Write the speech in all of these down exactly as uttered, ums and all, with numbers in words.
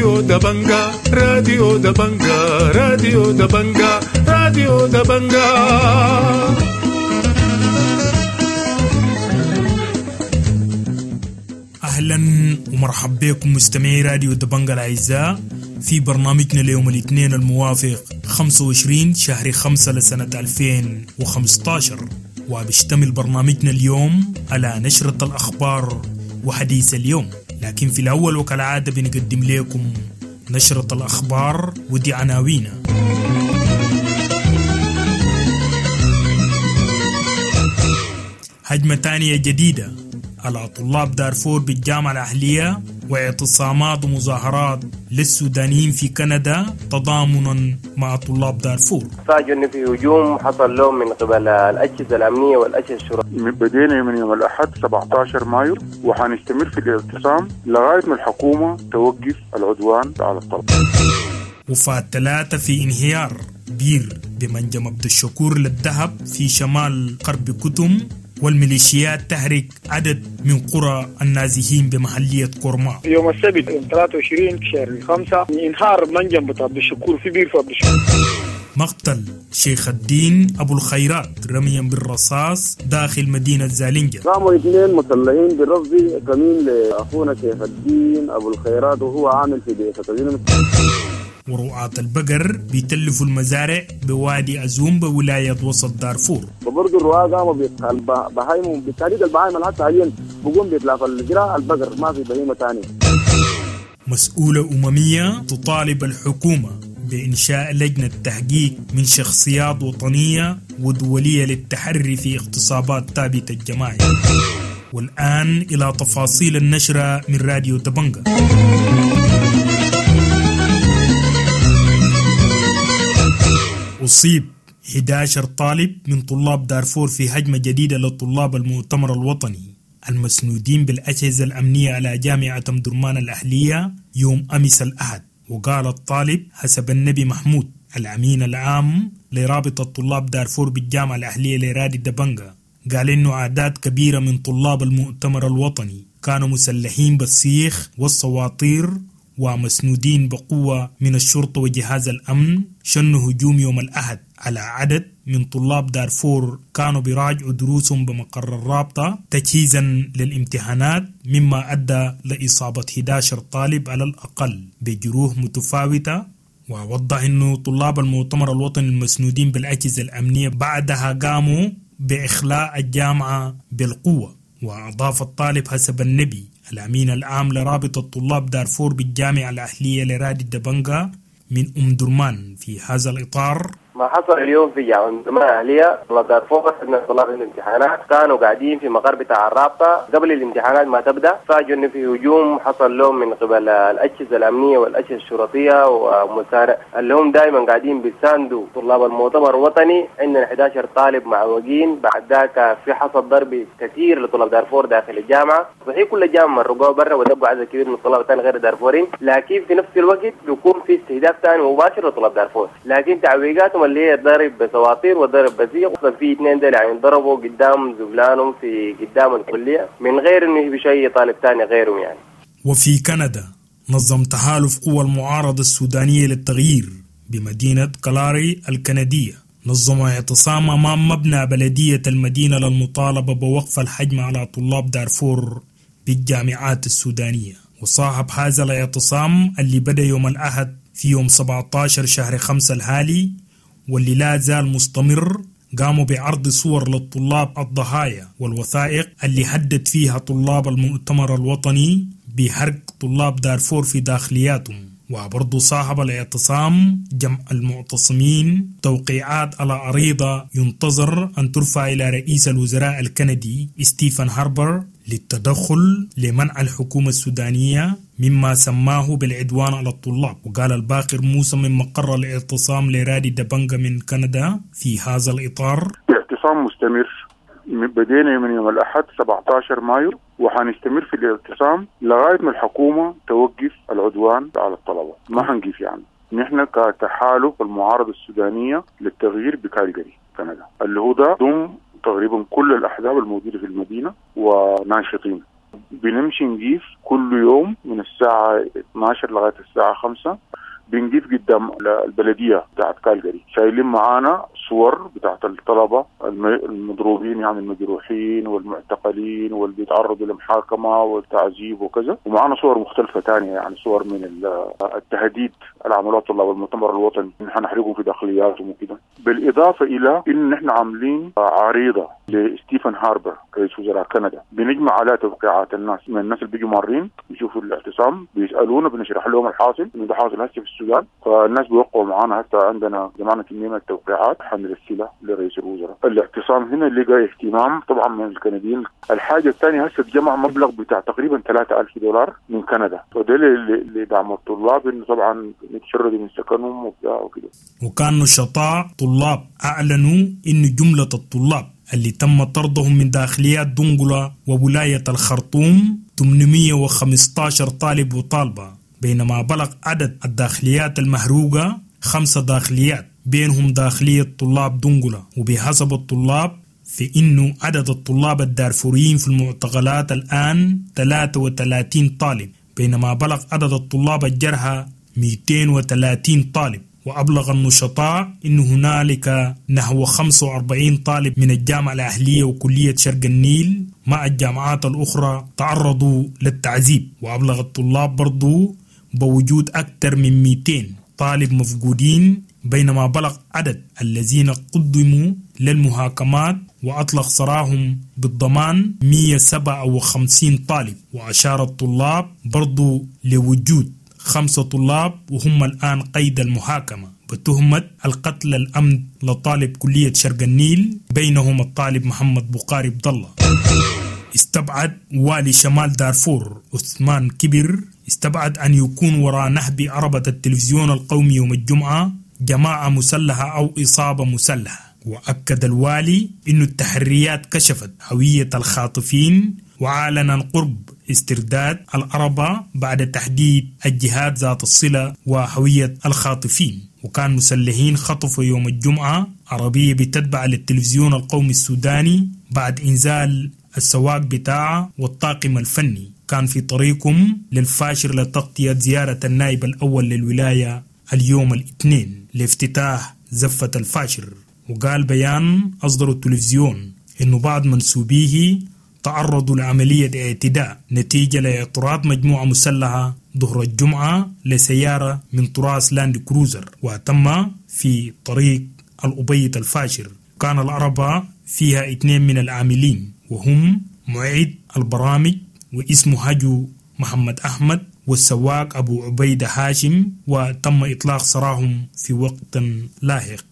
راديو دبنجا راديو دبنجا راديو دبنجا راديو دبنجا. أهلا ومرحبا بكم مستمعي راديو دبنجا الأعزاء في برنامجنا ليوم الاثنين الموافق خمسة وعشرين شهر خمسة لسنة ألفين وخمسة عشر، وبيشتمل برنامجنا اليوم على نشرة الأخبار وحديث اليوم، لكن في الأول وكالعادة بنقدم لكم نشرة الأخبار ودي عناوينها. هجمة تانية جديدة على طلاب دارفور بالجامعة الأهلية واعتصامات ومظاهرات للسودانيين في كندا تضامنا مع طلاب دارفور. فاجئوا إنه في هجوم حصل لهم من قبل الأجهزة الأمنية والأجهزة الشرطية. بدينا من يوم الأحد سبعة عشر مايو وحنستمر في الاعتصام لغاية ما الحكومة توقف العدوان على الطلبة. وفاة ثلاثة في انهيار بير بمنجم عبد الشكور للذهب في شمال غرب كتم، والميليشيات تحرق عدد من قرى النازحين بمحلية كورما. يوم السبت يوم ثلاثة وعشرين شهر خمسة انهار منجم عبد الشكور في بير عبد الشكور. مقتل شيخ الدين أبو الخيرات رميا بالرصاص داخل مدينة زالينجا. قاموا اثنين مسلحين بالرصد كمين لأخونا شيخ الدين أبو الخيرات وهو عامل في بيته. ورعاة البقر بيتلفوا المزارع بوادي أزوم بولاية وسط دارفور. وبرضه الرعاة قاموا بهايم بالتحديد البهايم حتى حاليا بقوم بيتلاف الجراء البقر، ما في بهيمة ثانية. مسؤولة أممية تطالب الحكومة بإنشاء لجنة تحقيق من شخصيات وطنية ودولية للتحري في اغتصابات ثابتة الجماعي. والآن إلى تفاصيل النشرة من راديو دبنجا. أصيب أحد عشر طالب من طلاب دارفور في هجمة جديدة لطلاب المؤتمر الوطني المسنودين بالأجهزة الأمنية على جامعة أمدرمان الأهلية يوم أمس الأحد. وقال الطالب حسب النبي محمود الأمين العام لرابطة طلاب دارفور بالجامعة الأهلية لرادي دبنجا، قال إنه أعداد كبيرة من طلاب المؤتمر الوطني كانوا مسلحين بالسيخ والسواطير ومسنودين بقوة من الشرطة وجهاز الأمن، شنوا هجوم يوم الأحد على عدد من طلاب دارفور كانوا بيراجعوا دروسهم بمقر الرابطة تجهيزا للامتحانات، مما أدى لإصابة أحد عشر طالب على الأقل بجروح متفاوتة. ووضح أنه طلاب المؤتمر الوطني المسنودين بالأجهزة الأمنية بعدها قاموا بإخلاء الجامعة بالقوة. وأضاف الطالب حسب النبي الأمين العام لرابطة طلاب دارفور بالجامعة الأهلية لرادي دبنجا من أم درمان في هذا الإطار: ما حصل اليوم في جامعة أم درمان الأهلية طلاب دارفور إن طلاب الامتحانات كانوا قاعدين في مقر بتاع الرابطة قبل الامتحانات ما تبدأ، فاجئوا إنه في هجوم حصل لهم من قبل الأجهزة الأمنية والأجهزة الشرطية ومسارع اللي هم دائما قاعدين بيساندوا طلاب المؤتمر الوطني. عندنا أحد عشر طالب معوقين. بعد ذاك في حصل ضرب كثير لطلاب دارفور داخل الجامعة. صحيح كل الجامعة مرقوها برا ودبوا عدد كبير من الطلاب الثاني غير دارفورين، لكن في نفس الوقت بيكون في استهداف ثاني مباشر لطلاب دارفور، لكن تعويقاتهم اللي هي ضرب بسواطير وضرب بسيق. في اثنين دول يعني ضربوا قدام زبلانهم في قدام الكلية من غير انه بشيء طالب ثاني غيرهم يعني. وفي كندا نظم تحالف قوى المعارضة السودانية للتغيير بمدينة كالاري الكندية نظم اعتصام أمام مبنى بلدية المدينة للمطالبة بوقف الحجم على طلاب دارفور بالجامعات السودانية. وصاحب هذا الاعتصام اللي بدأ يوم الأحد في يوم سبعة عشر شهر خمسة الحالي واللي لا زال مستمر، قاموا بعرض صور للطلاب الضحايا والوثائق اللي هدد فيها طلاب المؤتمر الوطني بحرق طلاب دارفور في داخلياتهم. وبرضو صاحب الاعتصام جمع المعتصمين توقيعات على عريضة ينتظر أن ترفع إلى رئيس الوزراء الكندي ستيفن هاربر للتدخل لمنع الحكومة السودانية مما سماه بالعدوان على الطلاب. وقال الباقر موسى من مقر الاعتصام لرادي دبنجا من كندا في هذا الإطار: الاعتصام مستمر، بدينا من يوم الأحد سبعة عشر مايو وحنستمر في الاعتصام لغاية ما الحكومة توقف العدوان على الطلبة. ما حنقف يعني، نحن كتحالف المعارضة السودانية للتغيير بكالجري كندا اللي هو ده ضم تقريبا كل الأحزاب الموجودة في المدينة وناشطين. بنمشي نقيف كل يوم من الساعة اتناشر لغاية الساعة خمسة، بنقيف قدام البلدية بتاعت كالجري، شايلين معانا صور بتاعت الطلبة المضروبين يعني المجروحين والمعتقلين واللي بيتعرضوا للمحاكمة والتعذيب وكذا، ومعانا صور مختلفة تانية يعني صور من التهديد اللي عملوها طلاب المؤتمر الوطني إن حنحرقهم في داخلياتهم وكده. بالإضافة إلى إن نحن عاملين عريضة لستيفن هاربر رئيس وزراء كندا، بنجمع على توقيعات الناس من الناس اللي بيجوا مارين بيشوفوا الاعتصام بيسألونا بنشرح لهم الحاصل إنه ده حاصل هسه في السودان، فالناس بيوقعوا معانا. حتى عندنا جمعنا كمية من التوقيعات حنرسلها لرئيس الوزراء. الاعتصام هنا لقى اهتمام طبعا من الكنديين. الحاجة الثانية هسه اتجمع مبلغ بتاع تقريبا ثلاثة ألف دولار من كندا، فده لدعم الطلاب انه طبعا يتشردوا من سكنهم وبتاع وكده. وكان نشطاء طلاب اعلنوا ان جملة الطلاب اللي تم طردهم من داخليات دنقلة وولاية الخرطوم ثمانمية وخمستاشر طالب وطالبة، بينما بلغ عدد الداخليات المهروقة خمسة داخليات بينهم داخلية طلاب دنقلة. وبحسب الطلاب في إنه عدد الطلاب الدارفوريين في المعتقلات الآن ثلاثة وثلاثين طالب، بينما بلغ عدد الطلاب الجرحى مئتين وثلاثين طالب. وأبلغ النشطاء أن هنالك نحو خمسة وأربعين طالب من الجامعة الأهلية وكلية شرق النيل مع الجامعات الأخرى تعرضوا للتعذيب. وأبلغ الطلاب برضو بوجود أكثر من مئتين طالب مفقودين، بينما بلغ عدد الذين قدموا للمحاكمات وأطلق سراهم بالضمان مئة وسبعة وخمسين طالب. وأشار الطلاب برضو لوجود خمسة طلاب وهم الآن قيد المحاكمة بتهمة القتل الأمن لطالب كلية شرق النيل، بينهم الطالب محمد بقاري عبد الله. استبعد والي شمال دارفور عثمان كبر استبعد أن يكون وراء نهب عربة التلفزيون القومي يوم الجمعة جماعة مسلحة أو إصابة مسلحة. وأكد الوالي أن التحريات كشفت هوية الخاطفين وأعلن قرب استرداد العربة بعد تحديد الجهات ذات الصلة وهوية الخاطفين. وكان مسلحين خطفوا يوم الجمعة عربية بتتبع للتلفزيون القومي السوداني بعد إنزال السواق بتاعه والطاقم الفني، كان في طريقهم للفاشر لتغطية زيارة النائب الأول للولاية اليوم الاثنين لافتتاح زفة الفاشر. وقال بيان أصدر التلفزيون إنه بعض منسوبيه تعرضوا لعملية اعتداء نتيجة لاعتراض مجموعة مسلحة ظهر الجمعة لسيارة من طراز لاند كروزر وتم في طريق الأبيض الفاشر. كان العربة فيها اثنين من العاملين وهم معيد البرامج واسمه هجو محمد أحمد والسواق أبو عبيدة هاشم، وتم إطلاق سراهم في وقت لاحق.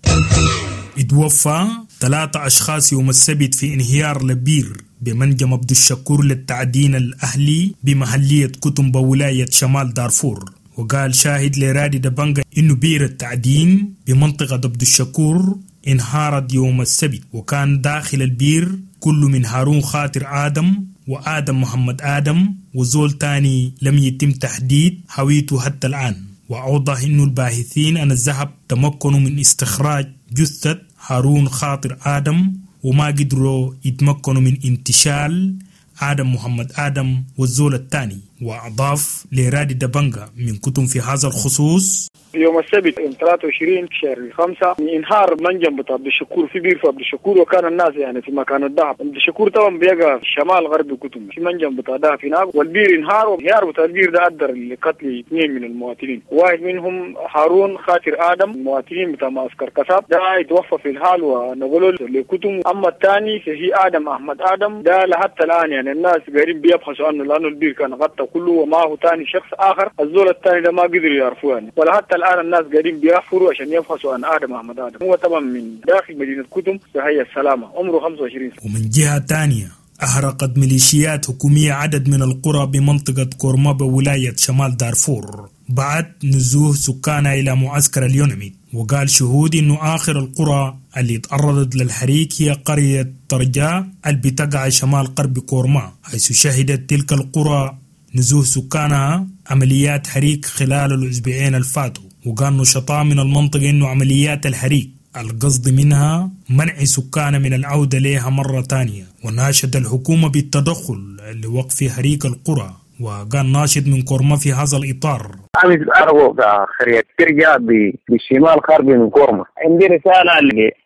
اتوفى ثلاثة أشخاص يوم السبت في انهيار لبير بمنجم عبد الشكور للتعدين الأهلي بمحلية كتم بولاية شمال دارفور. وقال شاهد لرادي دبنجا إنه بير التعدين بمنطقة عبد الشكور انهارت يوم السبت، وكان داخل البير كل من هارون خاطر آدم وآدم محمد آدم وزول تاني لم يتم تحديد هويته حتى الآن. وأوضح إنه الباحثين أن الذهب تمكنوا من استخراج جثة هارون خاطر آدم وما قدروا يتمكنوا من انتشال آدم محمد آدم والزول الثاني. وأضاف لرادي دبنجا من كتب في هذا الخصوص: يوم السبت يوم ثلاثة وعشرين شهر خمسة انهار منجم بتاع عبد الشكور في بير في عبد الشكور، وكان الناس يعني في مكان الذهب. عبد الشكور طبعا بيقع في الشمال غرب كتم في منجم بتاع ذهب هناك، والبير انهار، وانهيار بتاع البير ده ادى لقتل اثنين من المواطنين، واحد منهم هارون خاطر ادم المواطنين بتاع معسكر كساب ده يتوفى في الحال ونقلوا لكتم. اما الثاني فهي ادم احمد ادم ده لحتى الان يعني الناس قاعدين بيبحثوا عنه لانه البير كان غطى كله، ومعه ثاني شخص اخر الزول الثاني ده ما قدروا يعرفوه يعني، ولحتى الآن الناس قاعدين بيحفروا عشان يبحثوا عن آدم أحمد آدم. هو طبعا من داخل مدينة كتم في حي السلامة، عمره خمسة وعشرين سنة. ومن جهة تانية أحرقت ميليشيات حكومية عدد من القرى بمنطقة كورما بولاية شمال دارفور بعد نزوح سكانها إلى معسكر اليونميت. وقال شهود إنه آخر القرى اللي تعرضت للحريق هي قرية ترجاء اللي بتقع شمال غرب كورما، حيث شهدت تلك القرى نزوح سكانها عمليات حريق خلال الأسبوعين الفاتوا. وقال نشطاء من المنطقة إنه عمليات الحريق القصد منها منع سكان من العودة لها مرة تانية. وناشد الحكومة بالتدخل لوقف حريق القرى. وقال ناشد من كورما في هذا الإطار: أمس أرغو قرية ترجع بالشمال غربي من كورما، عندي رسالة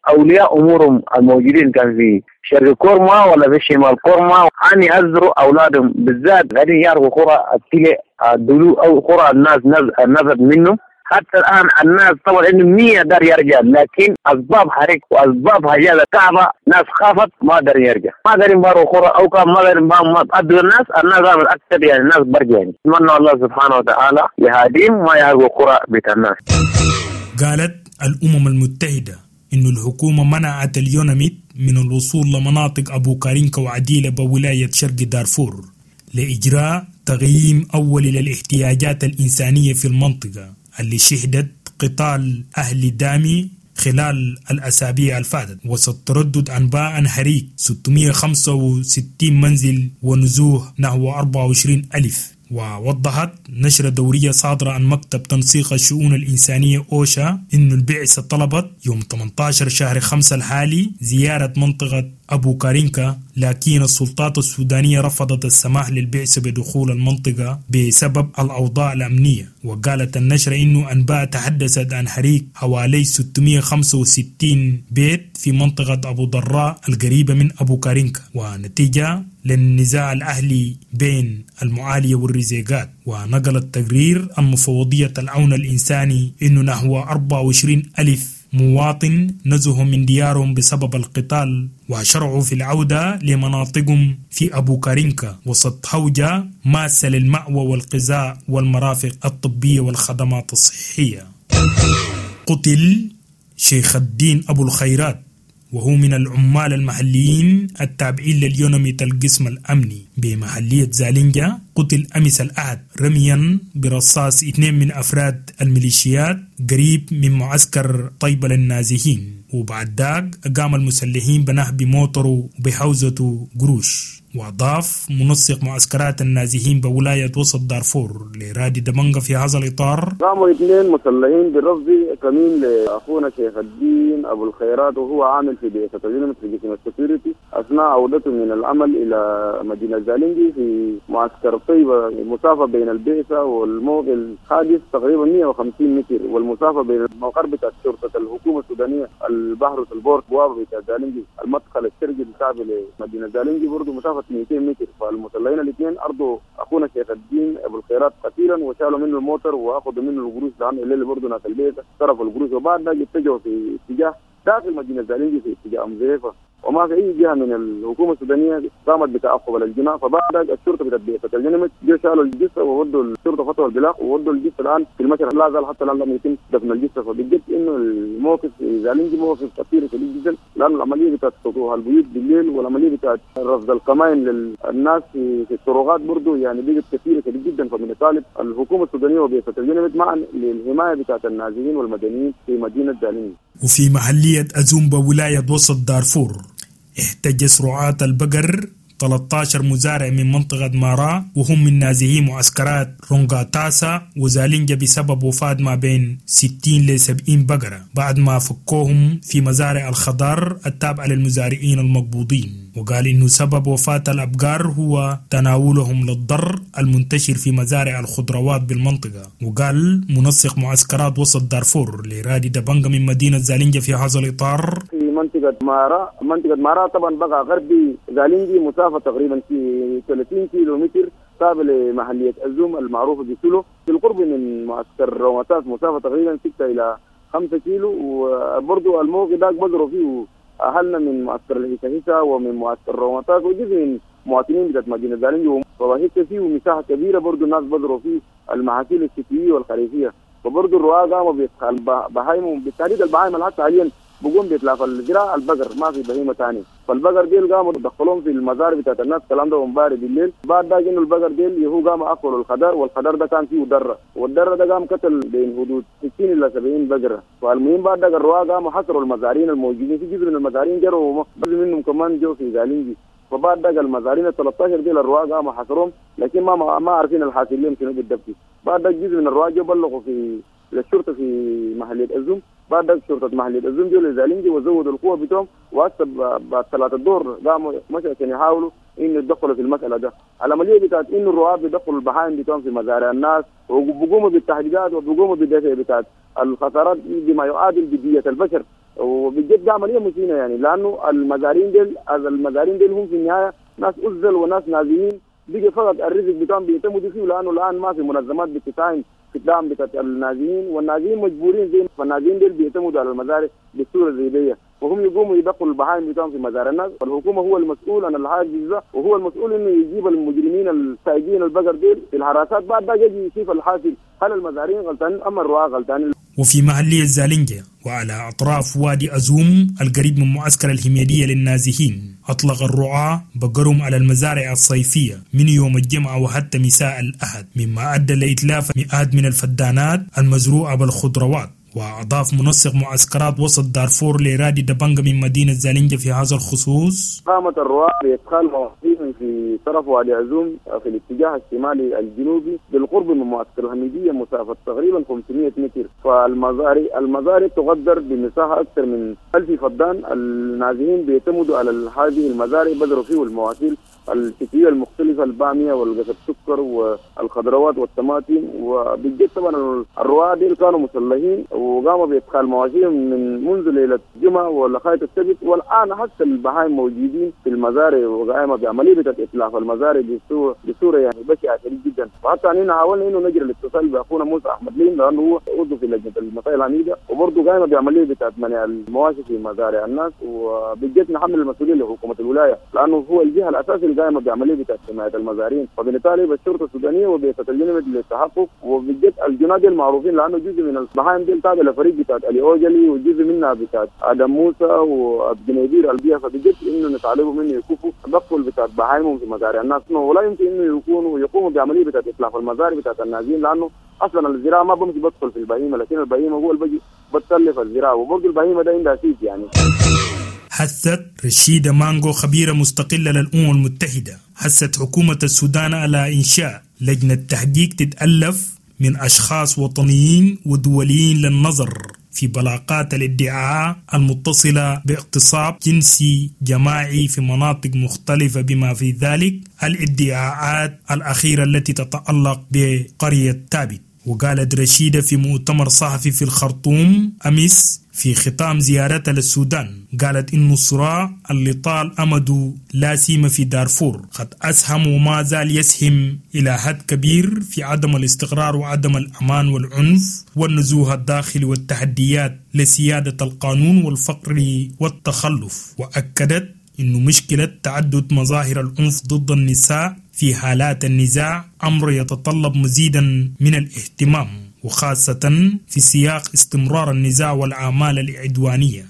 لأولياء أمورهم الموجودين كان في شرق كورما ولا في شمال كورما أن يأزروا أولادهم، بالذات قاعدين يعرفوا قرى التلي الدلو أو قرى الناس نزل منه. حتى الآن الناس طبعا عندهم مية دار يرجع، لكن أسباب حريق وأسباب حاجات كعبة ناس خافت ما دار يرجع، ما دارين بارو قرى أو كان ما دارين ما أدوا الناس، الناس عمل أكثر يعني الناس برجع يعني. أتمنى الله سبحانه وتعالى يهديهم ما يعرفوا قرى بيت الناس. قالت الأمم المتحدة إن الحكومة منعت اليوناميد من الوصول لمناطق أبو كارينكا وعديلة بولاية شرق دارفور لإجراء تقييم أولي للاحتياجات الإنسانية في المنطقة اللي شهدت قتال أهل دامي خلال الأسابيع الفاتت، وسط تردد أنباء عن حريق ستمائة وخمسة وستين منزل ونزوح نحو أربعة وعشرين ألف. ووضحت نشرة دورية صادرة عن مكتب تنسيق الشؤون الإنسانية أوشا إن البعثة طلبت يوم ثمانية عشر شهر خمسة الحالي زيارة منطقة أبو كارينكا، لكن السلطات السودانية رفضت السماح للبعثة بدخول المنطقة بسبب الأوضاع الأمنية. وقالت النشرة إنه أنباء تحدثت عن حريق حوالي ستمائة وخمسة وستين بيت في منطقة أبو ضراء القريبة من أبو كارينكا، ونتيجة للنزاع الأهلي بين المعالية والرزيقات. ونقل التقرير عن مفوضية العون الإنساني إنه نحو أربعة وعشرين ألف مواطن نزهوا من ديارهم بسبب القتال وشرعوا في العودة لمناطقهم في أبو كارينكا وسط هوجة ماسة للمأوى والغذاء والمرافق الطبية والخدمات الصحية. قتل شيخ الدين أبو الخيرات وهو من العمال المحليين التابعين لليوناميت القسم الأمني بمحلية زالينجا، قتل أمس الأحد رميا برصاص اثنين من أفراد الميليشيات قريب من معسكر طيبة للنازحين، وبعد ذاك قام المسلحين بنهب موتره وبحوزته قروش. وأضاف منسق معسكرات النازحين بولاية وسط دارفور لرادي دمنغ في هذا الإطار: قاموا اثنين مسلحين برفض كمين لأخونا شيخ الدين أبو الخيرات وهو عامل في بعثة اليوناميت في قسم ال security أثناء عودته من العمل إلى مدينة زالينجي في معسكر طيبة. المسافة بين البعثة والموقع الحادث تقريبا مئة وخمسين متر، والمسافة بين المقر بتاع شرطة الحكومة السودانية البحر البورت بوابة بتاع زالينجي المدخل الشرقي التابع لمدينة زالينجي برضه مسافة مئتين متر. فالمسلحين الاثنين أرضوا أخونا شيخ الدين أبو الخيرات قتيلا وشالوا منه الموتر وأخذوا منه القروش، لأنه الليل برضه ناس البيت صرفوا القروش، وبعد ذلك اتجهوا في اتجاه داخل مدينة زالينجي في اتجاه أم زريفة، وما في أي جهة من الحكومة السودانية قامت بتعقب الجناء. فبعد الشرطة بتاعت الجنمت جو شالوا الجثة وودوا الشرطة فتحوا البلاغ وودوا الجثة الآن في المشرح، لا زال حتى الآن لم يتم دفن الجثة. فبجد إنه الموقف زالينجي موقف خطير شديد جدا، لأن العملية بتاعت سطوح البيوت بالليل والعملية بتاعت رصد القمائم للناس في الطرقات برضه يعني بقت كثيرة شديد جدا. فمن طالب الحكومة السودانية وبعثة الجنمت معا للحماية بتاعت النازحين والمدنيين في مدينة زالينجي. وفي محلية أزومبا ولاية وسط دارفور احتجز رعاة البقر ثلاثة عشر مزارع من منطقة مارا وهم من نازحي معسكرات رونغاتاسا وزالينجا بسبب وفاة ما بين ستين ل سبعين بقرة بعد ما فكوهم في مزارع الخضار التابعة للمزارعين المقبوضين. وقال إنه سبب وفاة الأبقار هو تناولهم للضر المنتشر في مزارع الخضروات بالمنطقة. وقال منسق معسكرات وسط دارفور لرادي دبنجا من مدينة زالينجا في هذا الإطار: في منطقة مارا، منطقة مارا طبعا بقى غربي زالينجي مسافة تقريبا في ثلاثين كيلو متر تابع لمحلية الزوم المعروفة بسولو، في القرب من معسكر روماتاس مسافة تقريبا ستة إلى خمسة كيلو. وبرضو الموقع ده بزروا فيه أهلنا من معسكر الهيسا ومن معسكر روماتاس وجزء من مواطنين بتاعت مدينة زالينجي، وهيك فيه مساحة كبيرة برضو الناس بزروا فيه المحاصيل الشتوية والخريفية. وبرضو الرعاة قاموا بإدخال بهايم، بالتحديد البهايم اللي حتى حاليا بقوم بيتلاف الزراعة البقر، ما في بهيمة ثانية. فالبقر ديل قاموا دخلوهم في المزارع بتاعت الناس، الكلام ده امبارح بالليل. بعد ده انه البقر ديل يهو قام اكلوا الخضار، والخضار ده كان فيه دره، والدره ده قام قتل بين حدود ستين الى سبعين بقرة. فالمهم بعد ده الرعاة قاموا حصروا المزارعين الموجودين في جزء من المزارعين جروا جزء منهم كمان جو في زالينجي. فبعد ده المزارعين ال ثلاثة عشر ديل الرعاة قاموا حصرهم، لكن ما ما عارفين الحاصل لهم شنو بالضبط. بعد ده جزء من الرعاة جو بلغوا في للشرطة في محلية الزوم، بعد شرطه محليه ازوم جو لزالينجي وزودوا القوة بتوعهم، وهسه بعد صلاة الظهر قاموا مشوا عشان يحاولوا انه يتدخلوا في المسالة ده. العملية بتاعت انه الرعاة بيدخلوا البهائم بتوعهم في مزارع الناس وبيقوموا بالتهديدات وبيقوموا بالدفع بتاعت الخسارات بما يعادل بديه البشر، وبجد ده عملية مشينة يعني، لانه المزارعين ديل المزارعين ديل هم في النهاية ناس عزل وناس نازيين، بيجي فقط الرزق بتاعهم بيعتمدوا فيه، لانه الان ما في منظمات بتساهم في الدعم بتاع النازيين، والنازيين مجبورين زي فالنازيين ديل بيعتمدوا على المزارع بالصورة زي دي، وهم يقوموا يدخلوا البهائم بتاعهم في مزارع الناس. والحكومة هو المسؤول عن الحاجز ده، وهو المسؤول انه يجيب المجرمين السايقين البقر ديل في الحراسات، بعد ده يجي يشوف الحاصل هل المزارعين غلطانين ام الرعاة غلطانين. وفي محلية زالينجا وعلى أطراف وادي أزوم القريب من معسكر الحميدية للنازحين، أطلق الرعاة بقرهم على المزارع الصيفية من يوم الجمعة وحتى مساء الأحد، مما أدى لإتلاف مئات من الفدانات المزروعة بالخضروات. وأضاف منسق معسكرات وسط دارفور لرادي دبنجا من مدينة زالينجا في هذا الخصوص: قامت الرعاة بإدخال مواسير في طرف وادي عزوم في الاتجاه الشمالي الجنوبي بالقرب من معسكر الحميدية مسافة تقريبا خمسمائة متر، فالمزارع المزارع تقدر بمساحة أكثر من ألف فدان. النازحين بيعتمدوا على هذه المزارع، بذروا فيه المواسير الشتوية المختلفة، البامية والقصب السكر والخضروات والطماطم. وبالجد طبعا الرعاة ديل كانوا مسلحين وقاموا بإدخال مواشيهم من منذ ليلة الجمعة ولغاية السبت، والآن حتى البهائم موجودين في المزارع وقائمة بعملية إتلاف المزارع بصورة بصورة يعني بشعة شديد جدا. وحتى أننا حاولنا إنه نجري الاتصال بأخونا موسى أحمد لين لأنه هو عضو في لجنة المسائل العميدة، وبرضه قائمة بعملية بتاعت منع المواشي في مزارع الناس. وبالجد نحمل المسؤولية لحكومة الولاية لأنه هو الجهة الأساسية القائمة بعملية بتاعت حماية المزارعين، فبالتالي بالشرطة السودانية وبعثة الجنود للتحقق. وبالجد الجناد المعروفين لأنه جزء من البهائم دي تابع لفريق بتاعت علي أوجلي وجزء منها بتاعت آدم موسى وابجنيدير البيئة، فبجد إنه نطالبهم إنه يكفوا تدخل بتاعت بهائمهم في مزارع الناس، ولا يمكن إنه يكونوا يقوموا بعملية بتاعت إتلاف المزارع بتاعت النازين، لأنه أصلا الزراعة ما بمشي بدخل في البهيمة، لكن البهيمة هو اللي بيجي بتسلف الزراعة، وبرضه البهيمة ده عندها سيد يعني. حثت رشيدة مانغو خبيرة مستقلة للأمم المتحدة، حثت حكومة السودان على إنشاء لجنة تحقيق تتألف من أشخاص وطنيين ودوليين للنظر في بلاغات الادعاء المتصلة باغتصاب جنسي جماعي في مناطق مختلفة، بما في ذلك الادعاءات الأخيرة التي تتعلق بقرية تابت. وقالت رشيدة في مؤتمر صحفي في الخرطوم أمس في ختام زيارتها للسودان، قالت إنه الصراع اللي طال أمده لا سيما في دارفور قد أسهم وما زال يسهم إلى حد كبير في عدم الاستقرار وعدم الأمان والعنف والنزوه الداخلي والتحديات لسيادة القانون والفقر والتخلف. وأكدت إنه مشكلة تعدد مظاهر العنف ضد النساء في حالات النزاع أمر يتطلب مزيدا من الاهتمام، وخاصة في سياق استمرار النزاع والأعمال العدوانية.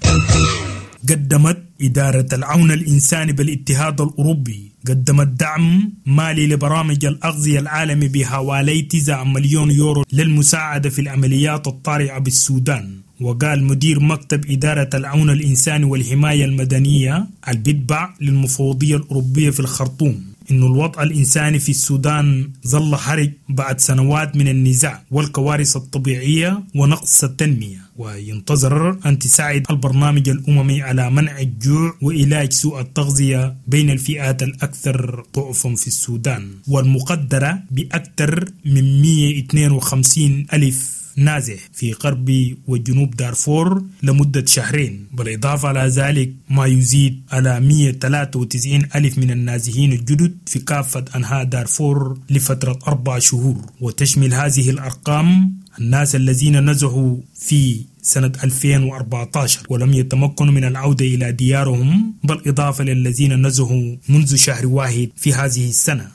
قدمت إدارة العون الإنساني بالاتحاد الأوروبي قدمت دعم مالي لبرامج الأغذية العالمي بحوالي تسعة مليون يورو للمساعدة في العمليات الطارئة بالسودان. وقال مدير مكتب إدارة العون الإنساني والحماية المدنية البتبع للمفوضية الأوروبية في الخرطوم إنه الوضع الإنساني في السودان ظل حرج بعد سنوات من النزاع والكوارث الطبيعية ونقص التنمية، وينتظر أن تساعد البرنامج الأممي على منع الجوع وعلاج سوء التغذية بين الفئات الأكثر ضعفا في السودان، والمقدرة بأكثر من مئة واثنين وخمسين ألف نازح في غرب وجنوب دارفور لمدة شهرين، بالإضافة على ذلك ما يزيد على مئة وثلاثة وتسعين ألف من النازحين الجدد في كافة أنحاء دارفور لفترة أربع شهور. وتشمل هذه الأرقام الناس الذين نزحوا في سنة ألفين وأربعة عشر ولم يتمكنوا من العودة إلى ديارهم، بالإضافة للذين نزحوا منذ شهر واحد في هذه السنة.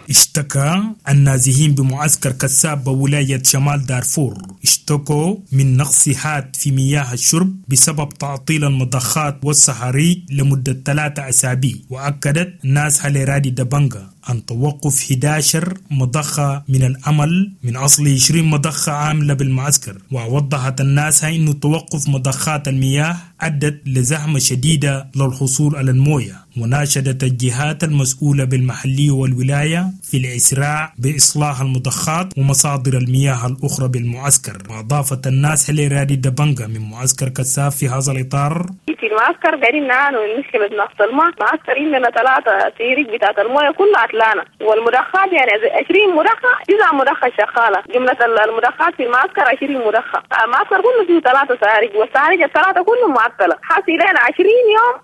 اشتكى النازحين بمعسكر كساب بولاية شمال دارفور اشتكوا من نقص حاد في مياه الشرب بسبب تعطيل المضخات والصهاريج لمدة ثلاثة أسابيع. وأكدت ناس لرادي دبنجا عن توقف إحدى عشر مضخة من العمل من أصل عشرين مضخة عاملة بالمعسكر. ووضحت الناس أن توقف مضخات المياه أدت لزحمة شديدة للحصول على الموية، وناشدت الجهات المسؤولة بالمحلية والولاية في الإسراع بإصلاح المضخات ومصادر المياه الأخرى بالمعسكر. وأضافت الناس لرادي دبنجا من معسكر كساف في هذا الإطار: في المعسكر قاعدين نعاني من مشكلة نقص الماء، معسكر عندنا ثلاثة سيريك بتاعت المويه كلها عطلانة، والمضخات يعني عشرين مضخة، تسعة مضخة شغالة، جملة المضخات في المعسكر عشرين مضخة، المعسكر كله فيه ثلاثة سهاريك والسهاريك الثلاثة كلهم معطلة، حاسي لنا عشرين يوم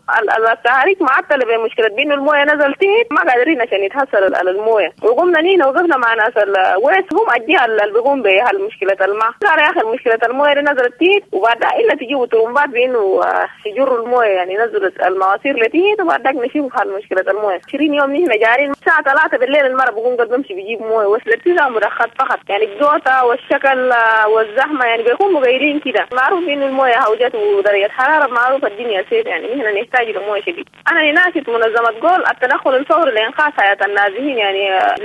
السهاريك معطلة بمشكلة بإنه المويه نزل تحت، ما قادرين عشان يتحصل على المويه، وقمنا نينا وقفنا مع ناس الويس هم الجهة اللي بيقوم بهالمشكلة الماء، قالوا يا أخي مشكلة المويه اللي نزلت تحت وبعدها إلا تجيبوا طرمبات بإنه يجروا المويه، يعني نزلت المواسير لتحت وبعد ذاك نشوف هالمشكلة المويه. عشرين يوم نحن جارين الساعة ثلاثة بالليل المرة بقوم قد بمشي بجيب مويه، وصلت تسع مضخات فقط، يعني الجوطة والشكل والزحمة يعني بيكون مغيرين كده، معروف إنه المويه هوجت ودرجة حرارة معروف الدنيا سير، يعني نحن نحتاج لمويه شديد. أنا نناشد منظمة جول التدخل الفوري لإنقاذ حياة النازحين، يعني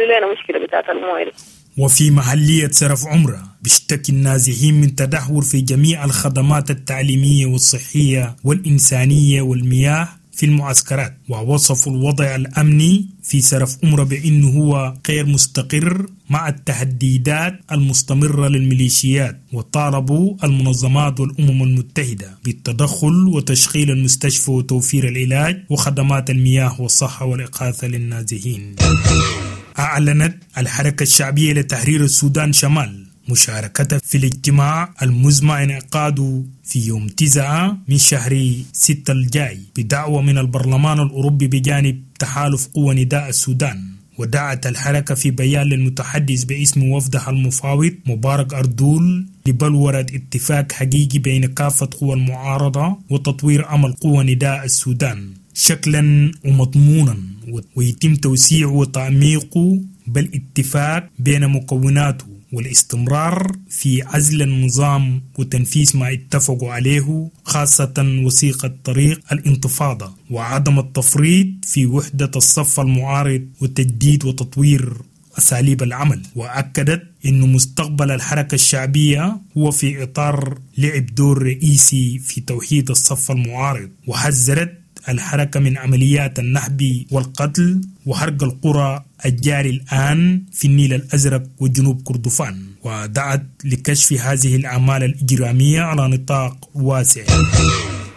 لنا مشكلة بتاعت المويه. وفي محلية سرف عمرة بيشتكي النازحين من تدهور في جميع الخدمات التعليمية والصحية والإنسانية والمياه في المعسكرات، ووصفوا الوضع الأمني في سرف عمرة بأنه هو غير مستقر مع التهديدات المستمرة للميليشيات، وطالبوا المنظمات والأمم المتحدة بالتدخل وتشغيل المستشفى وتوفير العلاج وخدمات المياه والصحة والإغاثة للنازحين. أعلنت الحركة الشعبية لتحرير السودان شمال مشاركتها في الاجتماع المزمع انعقاده في يوم تسعة من شهر ستة الجاي بدعوة من البرلمان الأوروبي بجانب تحالف قوى نداء السودان. ودعت الحركة في بيان للمتحدث باسم وفدها المفاوض مبارك أردول لبلورة اتفاق حقيقي بين كافة قوى المعارضة وتطوير عمل قوى نداء السودان شكلا ومضمونا، ويتم توسيعه وتعميقه بالاتفاق بين مكوناته والاستمرار في عزل النظام وتنفيذ ما اتفقوا عليه، خاصة وثيقة طريق الانتفاضة، وعدم التفريط في وحدة الصف المعارض وتجديد وتطوير أساليب العمل. وأكدت أن مستقبل الحركة الشعبية هو في إطار لعب دور رئيسي في توحيد الصف المعارض، وحذرت الحركة من عمليات النهب والقتل وحرق القرى الجاري الآن في النيل الأزرق وجنوب كردفان، ودعت لكشف هذه الأعمال الإجرامية على نطاق واسع.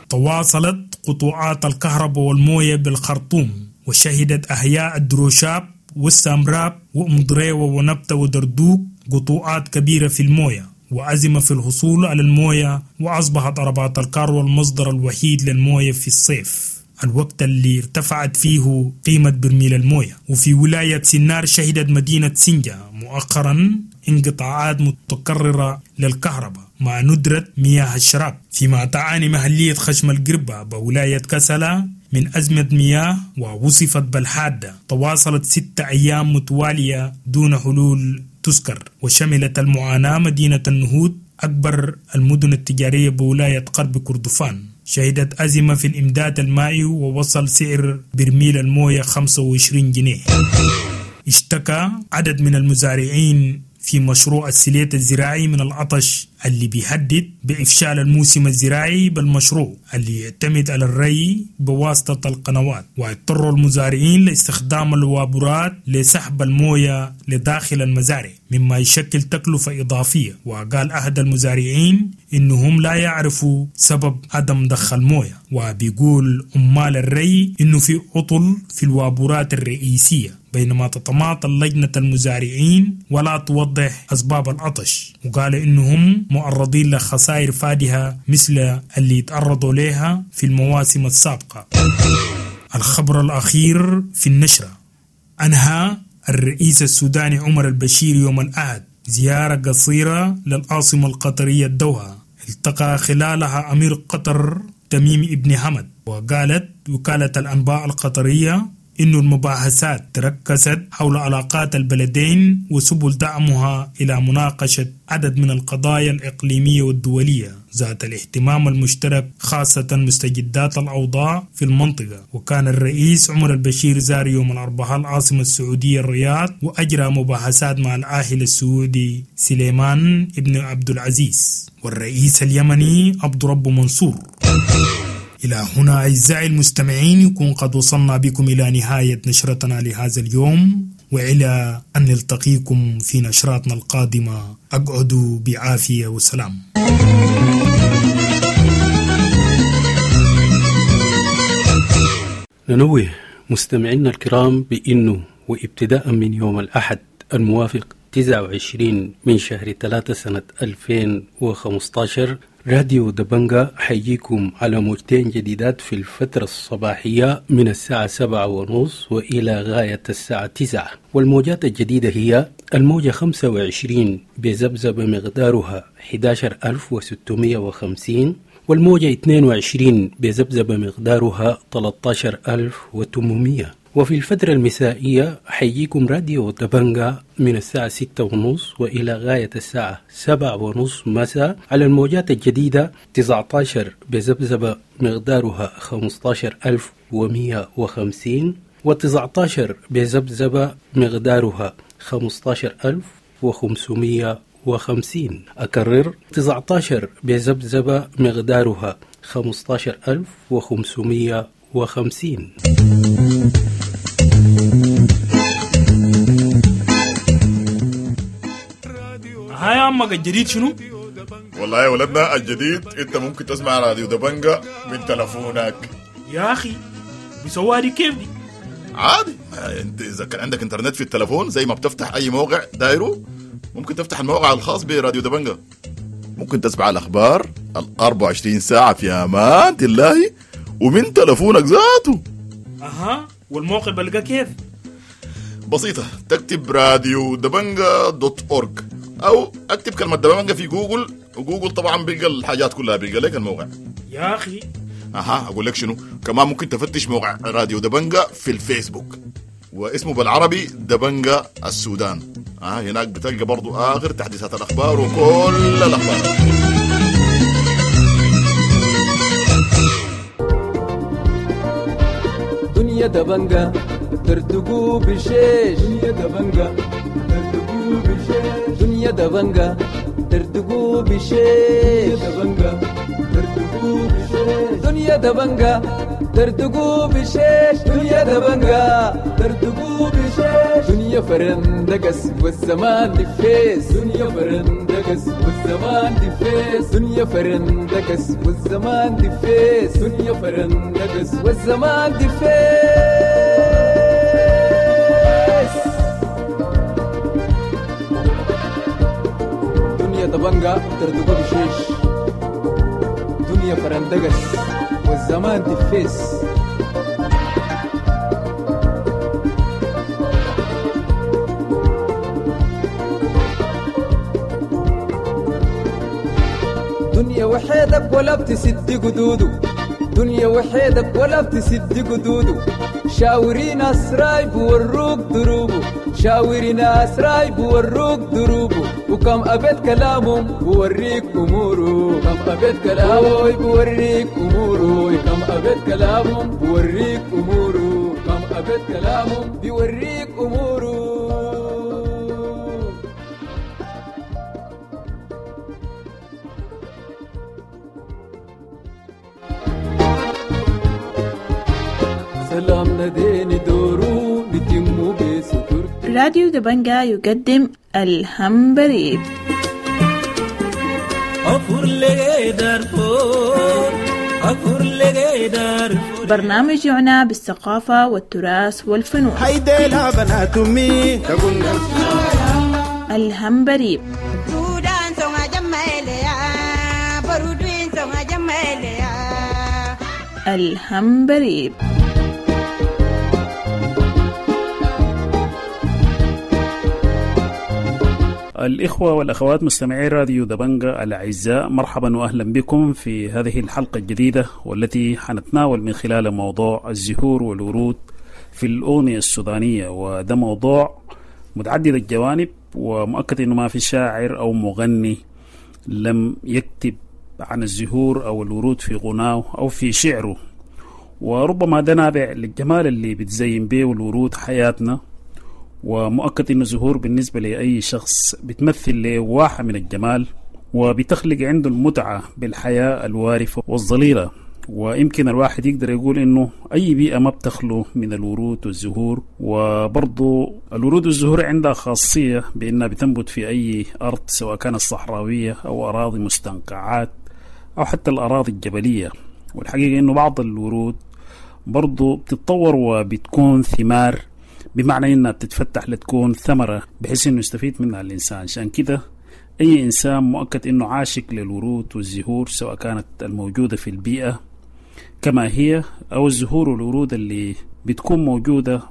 تواصلت قطوعات الكهرباء والموية بالخرطوم، وشهدت أحياء الدروشاب والسامراب وأم ونبتة ودردوق قطوعات كبيرة في الموية وأزمة في الحصول على الموية، وأصبحت عربات الكار المصدر الوحيد للموية في الصيف، الوقت اللي ارتفعت فيه قيمة برميل الموية. وفي ولاية سنار شهدت مدينة سنجة مؤخرا انقطاعات متكررة للكهرباء مع ندرة مياه الشراب، فيما تعاني محلية خشم القربة بولاية كسلة من أزمة مياه ووصفت بالحادة تواصلت ستة أيام متوالية دون حلول تذكر. وشملت المعاناة مدينة النهود أكبر المدن التجارية بولاية غرب كردفان، شهدت أزمة في الإمداد المائي ووصل سعر برميل الموية خمسة وعشرين جنيه. اشتكى عدد من المزارعين في مشروع السليت الزراعي من العطش اللي بيهدد بإفشال الموسم الزراعي بالمشروع اللي يعتمد على الري بواسطة القنوات، واضطروا المزارعين لاستخدام الوابورات لسحب الموية لداخل المزارع مما يشكل تكلفة إضافية. وقال أحد المزارعين إنهم لا يعرفوا سبب عدم ضخ الموية، وبيقول عمال الري إنه في عطل في الوابورات الرئيسية، بينما تتماطل لجنة المزارعين ولا توضح أسباب العطش. وقال إنهم معرضين لخسائر فادحة مثل اللي يتعرضوا لها في المواسم السابقة. الخبر الأخير في النشرة: أنهى الرئيس السوداني عمر البشير يوم الأحد زيارة قصيرة للعاصمة القطرية الدوحة، التقى خلالها أمير قطر تميم ابن حمد. وقالت وكالة الأنباء القطرية إن المباحثات تركزت حول علاقات البلدين وسبل دعمها إلى مناقشة عدد من القضايا الإقليمية والدولية ذات الاهتمام المشترك، خاصة مستجدات الأوضاع في المنطقة. وكان الرئيس عمر البشير زار يوم الأربعاء العاصمة السعودية الرياض وأجرى مباحثات مع العاهل السعودي سليمان ابن عبد العزيز والرئيس اليمني عبد رب منصور. إلى هنا أعزائي المستمعين يكون قد وصلنا بكم إلى نهاية نشرتنا لهذا اليوم. وإلى أن نلتقيكم في نشراتنا القادمة، أقعدوا بعافية وسلام. ننوه مستمعينا الكرام بأنه وابتداء من يوم الأحد الموافق تسعة وعشرين من شهر ثلاثة سنة ألفين وخمسة عشر راديو دبنجا حيجيكم على موجتين جديدات في الفترة الصباحية من الساعة سبعة ونص وإلى غاية الساعة تسعة، والموجات الجديدة هي الموجة خمسة وعشرين بذبذبة مقدارها أحد عشر ألف وستمائة وخمسين، والموجة اثنين وعشرين بذبذبة مقدارها ثلاثة عشر ألف وثمانمائة. وفي الفترة المسائية حيجيكم راديو دبنجا من الساعة ستة ونص وإلى غاية الساعة سبعة ونص مساء على الموجات الجديدة تسعة عشر بذبذبة مقدارها خمسة عشر ألف ومئة وخمسين، وتسعة عشر بذبذبة مقدارها خمسة عشر ألف وخمسمائة وخمسين. أكرر، تسعة عشر بذبذبة مقدارها خمسة عشر ألف وخمسمائة وخمسين. هاي عمك الجديد شنو؟ والله يا ولدنا الجديد انت ممكن تسمع راديو دبنجا من تلفونك. يا اخي بيسووها دي كيف دي؟ عادي، انت اذا كان عندك انترنت في التلفون زي ما بتفتح اي موقع دايرة ممكن تفتح الموقع الخاص براديو دبنجا، ممكن تسمع الاخبار ال أربعة وعشرين ساعة في امان الله ومن تلفونك ذاته. اها، والموقع بلقى كيف؟ بسيطة، تكتب راديو دبنجا dot org او اكتب كلمة دبنجا في جوجل، وجوجل طبعا بيلقى الحاجات كلها، بيلقى لك الموقع. يا اخي اها، اقول لك شنو كمان، ممكن تفتش موقع راديو دبنجا في الفيسبوك واسمه بالعربي دبنجا السودان. اه هناك بتلقى برضو اخر تحديثات الاخبار وكل الاخبار. دنيا دبنجا ترتقو بشيش، دنيا دبنجا ترتقو بشيش، دنيا دبنجا ترتقو بشيش، دبنجا ترتقو بشيش، دنيا دبنجا ترتقو بشيش، دنيا دبنجا ترتقو بشيش، دنيا فرندقس والزمان دفيس، دنيا فرندقس والزمان دفيس، دنيا فرندقس والزمان دفيس، دنيا فرندقس والزمان دفيس. دنيا دبنجا ترتقو بشيش، دنيا فرندقس والزمان دفيس. دنيا وحيدك ولا بتسد قدوده، دنيا وحيدك ولا بتسد قدوده، شاوري ناس رايب وروك دروبه، شاوري ناس رايب وروك دروبه، وكم أبيت كلامهم بوريك أموره، كم أبيت كلامه بوريك أموره، كم أبيت كلامهم بوريك أموره، كم أبيت كلامهم بيوريك أموره. سلام نديني دورو نتمو بستر. راديو دبنجا يقدم الهمبريب. برنامج يعنى بالثقافة والتراث والفنون. الهمبريب. الهمبريب. الإخوة والأخوات مستمعي راديو دبنجا الأعزاء، مرحبا وأهلا بكم في هذه الحلقة الجديدة والتي حنتناول من خلال موضوع الزهور والورود في الأغنية السودانية. وده موضوع متعدد الجوانب، ومؤكد أنه ما في شاعر أو مغني لم يكتب عن الزهور أو الورود في غناه أو في شعره، وربما ده نابع للجمال اللي بتزين به الورود حياتنا. ومؤكد أن الزهور بالنسبة لأي شخص بتمثل له واحة من الجمال، وبتخلق عنده المتعة بالحياة الوارفة والظليلة. ويمكن الواحد يقدر يقول إنه أي بيئة ما بتخلو من الورود والزهور. وبرضو الورود والزهور عندها خاصية بأنها بتنبت في أي أرض، سواء كانت صحراوية أو أراضي مستنقعات أو حتى الأراضي الجبلية. والحقيقة إنه بعض الورود برضو بتتطور وبتكون ثمار، بمعنى إنها بتتفتح لتكون ثمرة بحيث إنه يستفيد منها الإنسان. عشان كده أي إنسان مؤكد إنه عاشق للورود والزهور، سواء كانت الموجودة في البيئة كما هي أو الزهور والورود اللي بتكون موجودة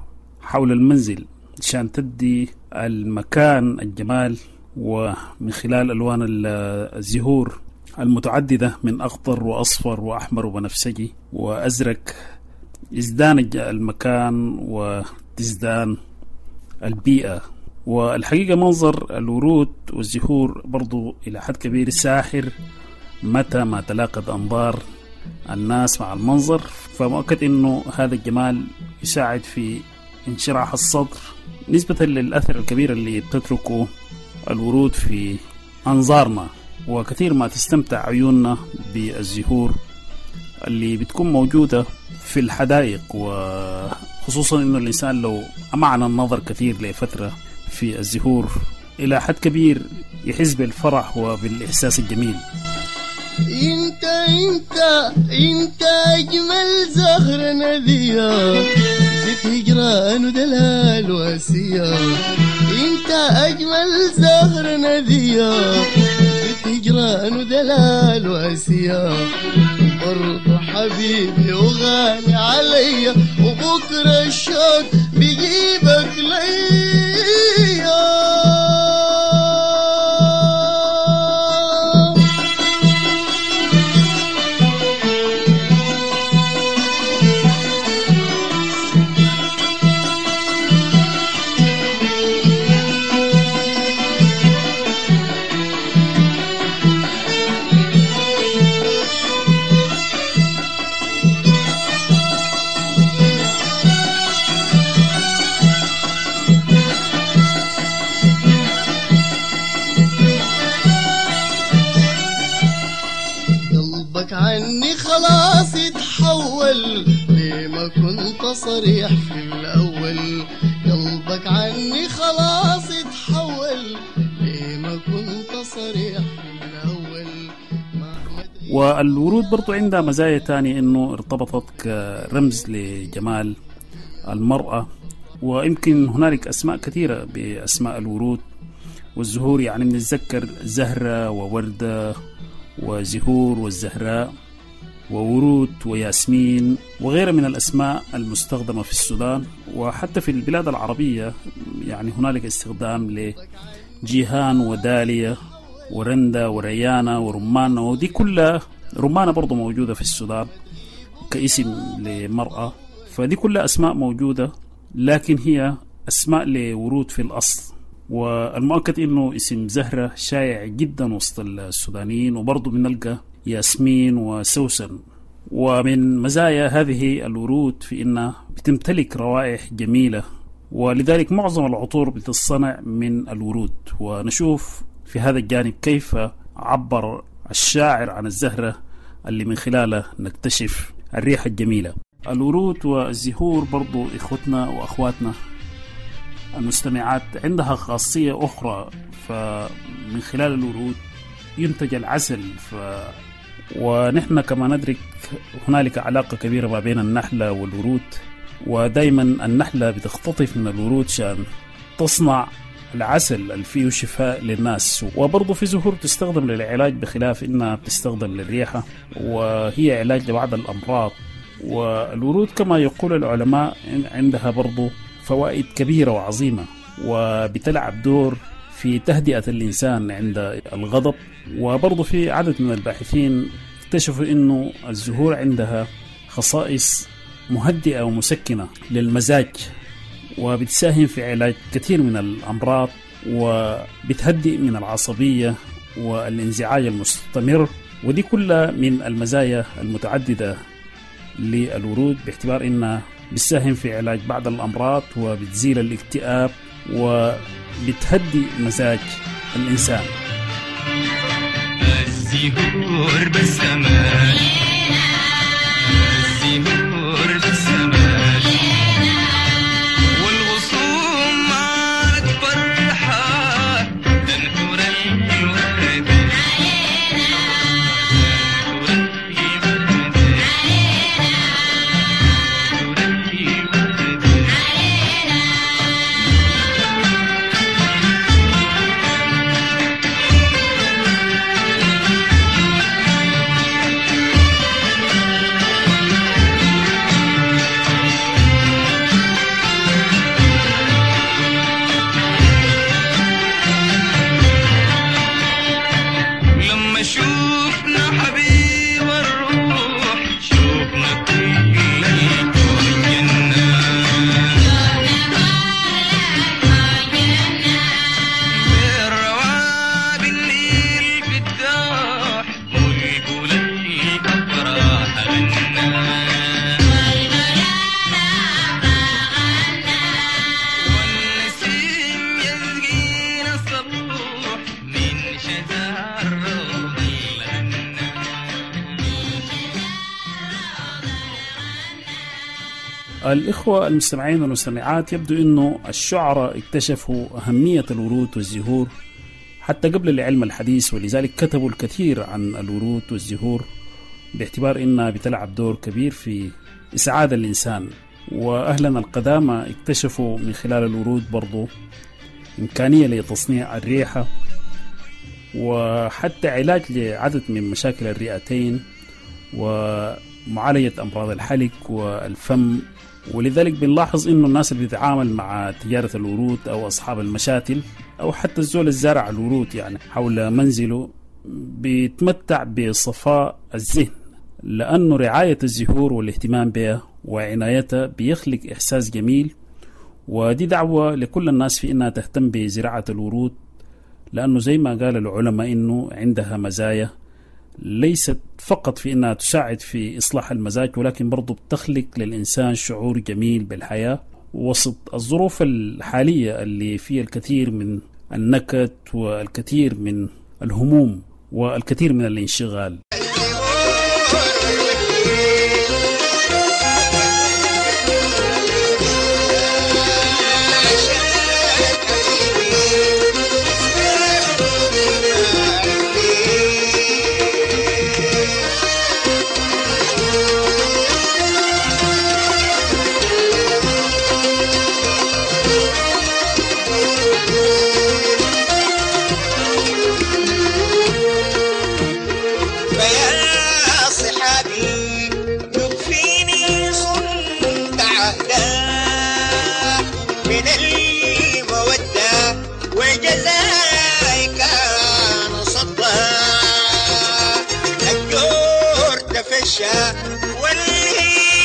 حول المنزل عشان تدي المكان الجمال. ومن خلال ألوان الزهور المتعددة من أخضر وأصفر وأحمر وبنفسجي وأزرق يزدان المكان وتزدان البيئة. والحقيقة منظر الورود والزهور برضو إلى حد كبير ساحر متى ما تلاقت أنظار الناس مع المنظر، فمؤكد أنه هذا الجمال يساعد في انشراح الصدر نسبة للأثر الكبير اللي بتتركه الورود في أنظارنا. وكثير ما تستمتع عيوننا بالزهور اللي بتكون موجودة في الحدائق، وخصوصا أنه الإنسان لو أمعن النظر كثير لفترة في الزهور إلى حد كبير يحس بالفرح وبالإحساس الجميل. انت انت انت اجمل زهرة نذية، زيت هجران ودلال واسية. انت اجمل زهرة نذية، زيت هجران ودلال واسية. برضو حبيبي وغالي عليا، وبكرة الشوق بيجيبك ليا. خلاص يتحول ليه ما كنت صريح في الأول؟ قلبك عني خلاص يتحول ليه ما كنت صريح في الأول. والورود برضو عندها مزايا تانية، إنه ارتبطت كرمز لجمال المرأة، ويمكن هنالك أسماء كثيرة بأسماء الورود والزهور. يعني بنتذكر زهرة ووردة وزهور والزهراء وورود وياسمين وغيرها من الأسماء المستخدمة في السودان وحتى في البلاد العربية. يعني هنالك استخدام لجيهان ودالية ورندا وريانة ورمانة، ودي كلها رمانة برضو موجودة في السودان كاسم لمرأة. فدي كلها أسماء موجودة، لكن هي أسماء لورود في الأصل. والمؤكد إنه اسم زهرة شائع جدا وسط السودانيين، وبرضو بنلقى ياسمين وسوسن. ومن مزايا هذه الورود في إنها بتمتلك روائح جميلة، ولذلك معظم العطور بتصنع من الورود. ونشوف في هذا الجانب كيف عبر الشاعر عن الزهرة اللي من خلاله نكتشف الريحة الجميلة. الورود والزهور برضو إخوتنا وأخواتنا المستمعات عندها خاصية أخرى، فمن خلال الورود ينتج العسل. ف... ونحن كما ندرك هنالك علاقة كبيرة ما بين النحلة والورود، ودايما النحلة بتختطف من الورود شان تصنع العسل اللي فيه شفاء للناس. وبرضه في زهور تستخدم للعلاج، بخلاف إنها بتستخدم للريحة، وهي علاج لبعض الأمراض. والورود كما يقول العلماء عندها برضه فوائد كبيرة وعظيمة، وبتلعب دور في تهدئة الإنسان عند الغضب. وبرضه في عدد من الباحثين اكتشفوا إنه الزهور عندها خصائص مهدئة ومسكنة للمزاج، وبتساهم في علاج كثير من الأمراض، وبتهدئ من العصبية والانزعاج المستمر. ودي كلها من المزايا المتعددة للورود، باعتبار إنها بتساهم في علاج بعض الأمراض وبتزيل الاكتئاب وبتهدي مزاج الإنسان. الزهور بالسماء الإخوة المستمعين والمستمعات، يبدو أنه الشعراء اكتشفوا أهمية الورود والزهور حتى قبل العلم الحديث، ولذلك كتبوا الكثير عن الورود والزهور باعتبار أنها بتلعب دور كبير في إسعاد الإنسان. وأهلنا القدامى اكتشفوا من خلال الورود برضو إمكانية لتصنيع الريحة وحتى علاج لعدد من مشاكل الرئتين ومعالجة أمراض الحلق والفم. ولذلك بنلاحظ إنه الناس اللي بتتعامل مع تجارة الورود أو أصحاب المشاتل أو حتى الزول الزارع الورود يعني حول منزله بيتمتع بصفاء الذهن، لأنه رعاية الزهور والاهتمام بها وعنايتها بيخلق إحساس جميل. ودي دعوة لكل الناس في إنها تهتم بزراعة الورود، لأنه زي ما قال العلماء إنه عندها مزايا ليست فقط في إنها تساعد في إصلاح المزاج، ولكن برضو بتخلق للإنسان شعور جميل بالحياة وسط الظروف الحالية اللي فيها الكثير من النكد والكثير من الهموم والكثير من الانشغال.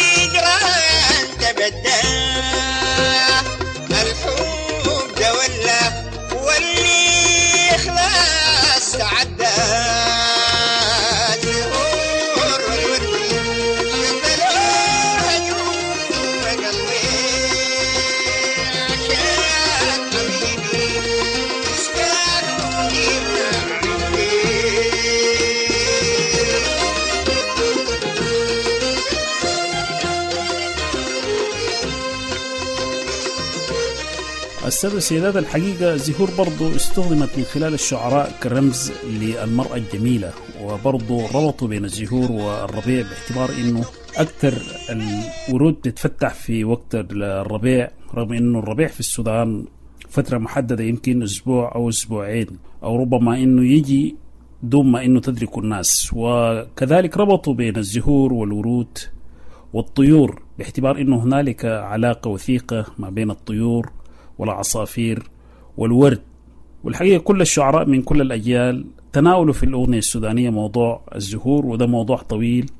والهجران تبدى، الحب تولى والإخلاص تعدى. زهور والورد شتلوها جوا قلبي، عشان حبيبي تسكنوني عندي. السادة والسيدات، الحقيقة الزهور برضو استخدمت من خلال الشعراء كرمز للمرأة الجميلة، وبرضو ربطوا بين الزهور والربيع باعتبار انه اكثر الورود بتتفتح في وقت الربيع، رغم انه الربيع في السودان فترة محددة يمكن اسبوع او اسبوعين، او ربما انه يجي دون ما انه تدرك الناس. وكذلك ربطوا بين الزهور والورود والطيور باعتبار انه هنالك علاقة وثيقة ما بين الطيور والعصافير والورد. والحقيقة كل الشعراء من كل الأجيال تناولوا في الأغنية السودانية موضوع الزهور، وده موضوع طويل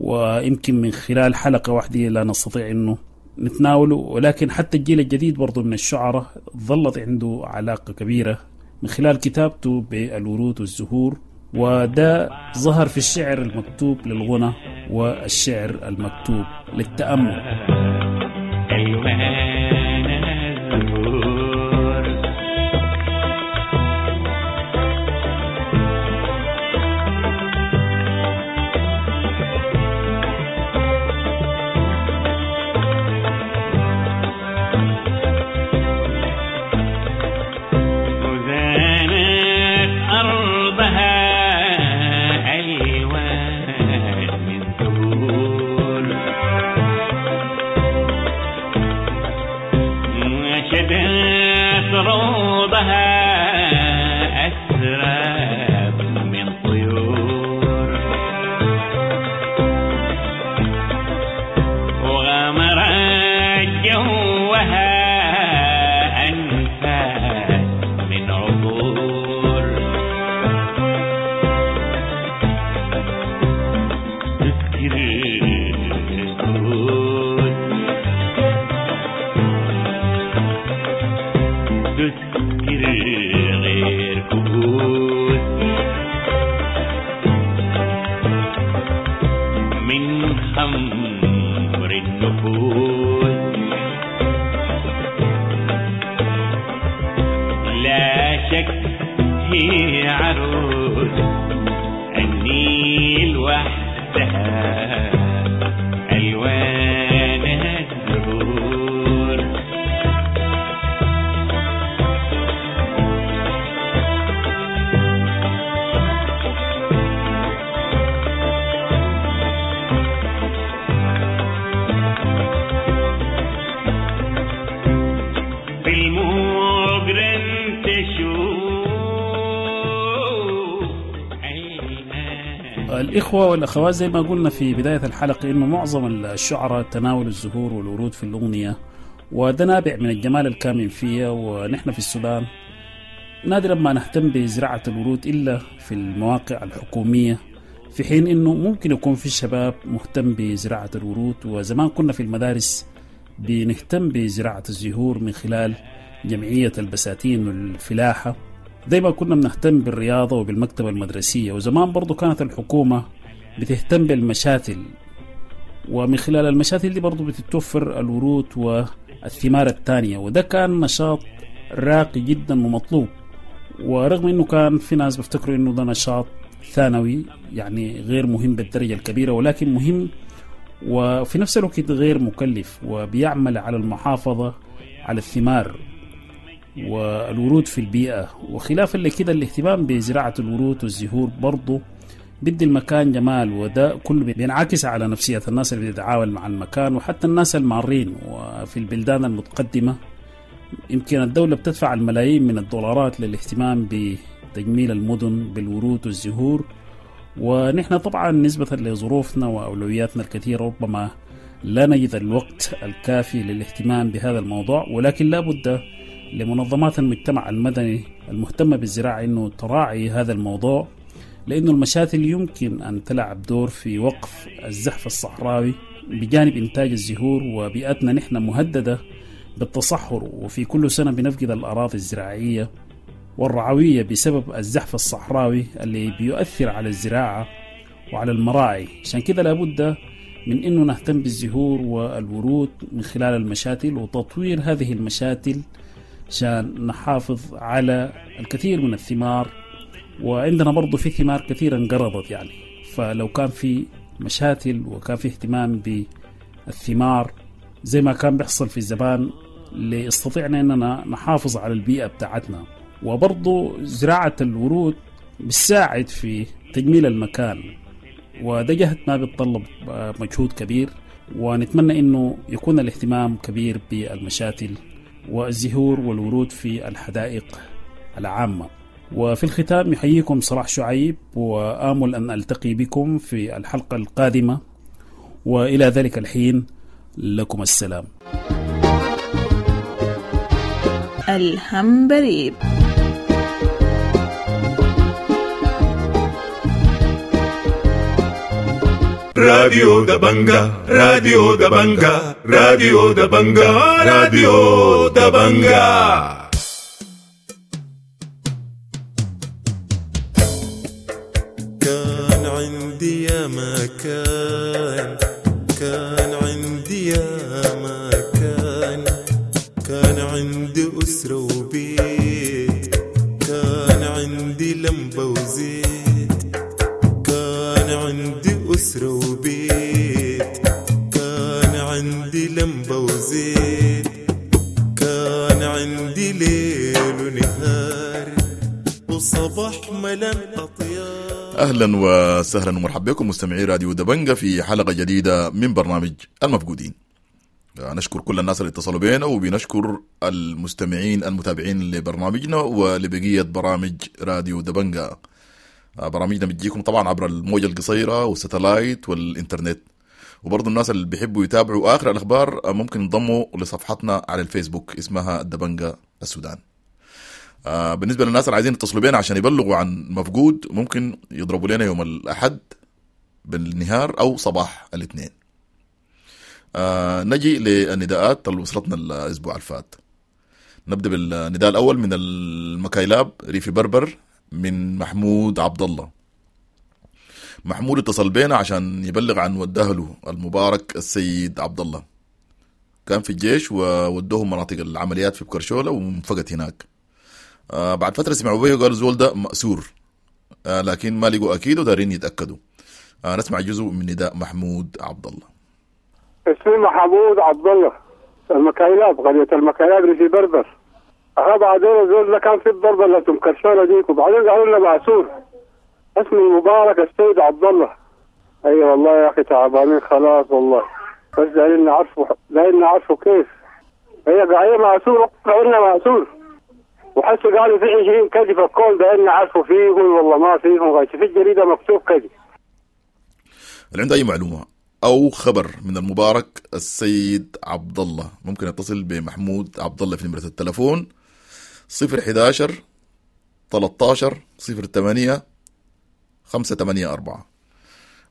ويمكن من خلال حلقة واحدة لا نستطيع أنه نتناوله، ولكن حتى الجيل الجديد برضو من الشعراء ظلت عنده علاقة كبيرة من خلال كتابته بالورود والزهور، وده ظهر في الشعر المكتوب للغنى والشعر المكتوب للتأمل. النيل وحدها ألوانها الزهور. الإخوة والأخوات، زي ما قلنا في بداية الحلقة إنه معظم الشعراء تناولوا الزهور والورود في الأغنية، وده نابع من الجمال الكامن فيها. ونحن في السودان نادرا ما نهتم بزراعة الورود إلا في المواقع الحكومية، في حين إنه ممكن يكون في الشباب مهتم بزراعة الورود. وزمان كنا في المدارس بنهتم بزراعة الزهور من خلال جمعية البساتين والفلاحة، زي ما كنا بنهتم بالرياضة وبالمكتبة المدرسية. وزمان برضو كانت الحكومة بتهتم بالمشاتل، ومن خلال المشاتل دي برضو بتتوفر الورود والثمار الثانية، وده كان نشاط راقي جدا ومطلوب. ورغم انه كان في ناس بيفتكروا انه ده نشاط ثانوي يعني غير مهم بالدرجة الكبيرة، ولكن مهم وفي نفس الوقت غير مكلف، وبيعمل على المحافظة على الثمار والورود في البيئة. وخلافا لكده الاهتمام بزراعة الورود والزهور برضو بدي المكان جمال، وده كله بينعكس على نفسية الناس اللي بتتعامل مع المكان وحتى الناس المارين. وفي البلدان المتقدمة يمكن الدولة بتدفع الملايين من الدولارات للاهتمام بتجميل المدن بالورود والزهور، ونحن طبعا نسبة لظروفنا وأولوياتنا الكثيرة ربما لا نجد الوقت الكافي للاهتمام بهذا الموضوع، ولكن لا بد لمنظمات المجتمع المدني المهتمة بالزراعة أنه تراعي هذا الموضوع، لأنه المشاتل يمكن أن تلعب دور في وقف الزحف الصحراوي بجانب إنتاج الزهور. وبيئتنا نحن مهددة بالتصحر، وفي كل سنة بنفقد الأراضي الزراعية والرعوية بسبب الزحف الصحراوي اللي بيؤثر على الزراعة وعلى المراعي. عشان كده لابد من أنه نهتم بالزهور والورود من خلال المشاتل وتطوير هذه المشاتل عشان نحافظ على الكثير من الثمار. وعندنا برضو في ثمار كثيرة انقرضت يعني، فلو كان في مشاتل وكان في اهتمام بالثمار زي ما كان بيحصل في الزمان لاستطيعنا أننا نحافظ على البيئة بتاعتنا. وبرضو زراعة الورود بتساعد في تجميل المكان، وده جهد ما بيتطلب مجهود كبير، ونتمنى أنه يكون الاهتمام كبير بالمشاتل والزهور والورود في الحدائق العامة. وفي الختام يحييكم صلاح شعيب، وآمل أن ألتقي بكم في الحلقة القادمة، وإلى ذلك الحين لكم السلام. الهمبريب. راديو دبنجا، راديو دبنجا، راديو دبنجا، راديو دبنجا. كان عندي يا مكان، كان عندي يا مكان، كان عندي أسرة وبيت، كان عندي لمبة وزيت، كان عندي أسرة وبيت، كان عندي لمبة وزيت، كان عندي ليل ونهار وصباح ملان أطيار. أهلا وسهلا ومرحبا بكم مستمعي راديو دبنجة في حلقة جديدة من برنامج المفقودين. نشكر كل الناس اللي اتصلوا بينا، وبنشكر المستمعين المتابعين لبرنامجنا ولبقية برامج راديو دبنجة. برامجنا بتجيكم طبعا عبر الموجة القصيرة والستلايت والإنترنت، وبرضو الناس اللي بيحبوا يتابعوا آخر الأخبار ممكن ينضموا لصفحتنا على الفيسبوك اسمها دبنجة السودان. بالنسبة للناس اللي عايزين يتصلوا بينا عشان يبلغوا عن مفقود، ممكن يضربوا لنا يوم الأحد بالنهار أو صباح الاثنين. نجي للنداءات اللي وصلتنا الأسبوع الفات. نبدأ بالنداء الأول من المكايلاب ريفي بربر من محمود عبد الله. محمود اتصل بينا عشان يبلغ عن ودهله المبارك السيد عبد الله، كان في الجيش وودوهم مناطق العمليات في بكرشولة وانفقت هناك. آه بعد فترة سمعوا به وقالوا زول ده مأسور، آه لكن ما لقوا أكيد ودارين يتأكدوا. آه نسمع جزء من نداء محمود عبد الله. اسمي محمود عبد الله، المكايلاب، قرية المكايلاب اللي في بربر. أها بعدين الزول ده كان في الضربة اللي تمكرشولة ديك، وبعدين قالوا لنا مأسور. اسمي المبارك السيد عبد الله. أي والله يا أخي تعبانين خلاص والله، بس دايرين نعرفوا، دايرين نعرفوا كيف هي قاعدة مأسور، قالوا مأسور. وحسوا قالوا في عشرين كذب الكل دايرين نعرفوا فيهم والله ما فيهم غش، في الجريدة مكتوب كذب. اللي عنده أي معلومة أو خبر من المبارك السيد عبد الله ممكن يتصل بمحمود عبد الله في نمرة التلفون صفر حداشر تلتاشر صفر تمانية خمسة تمانية أربعة.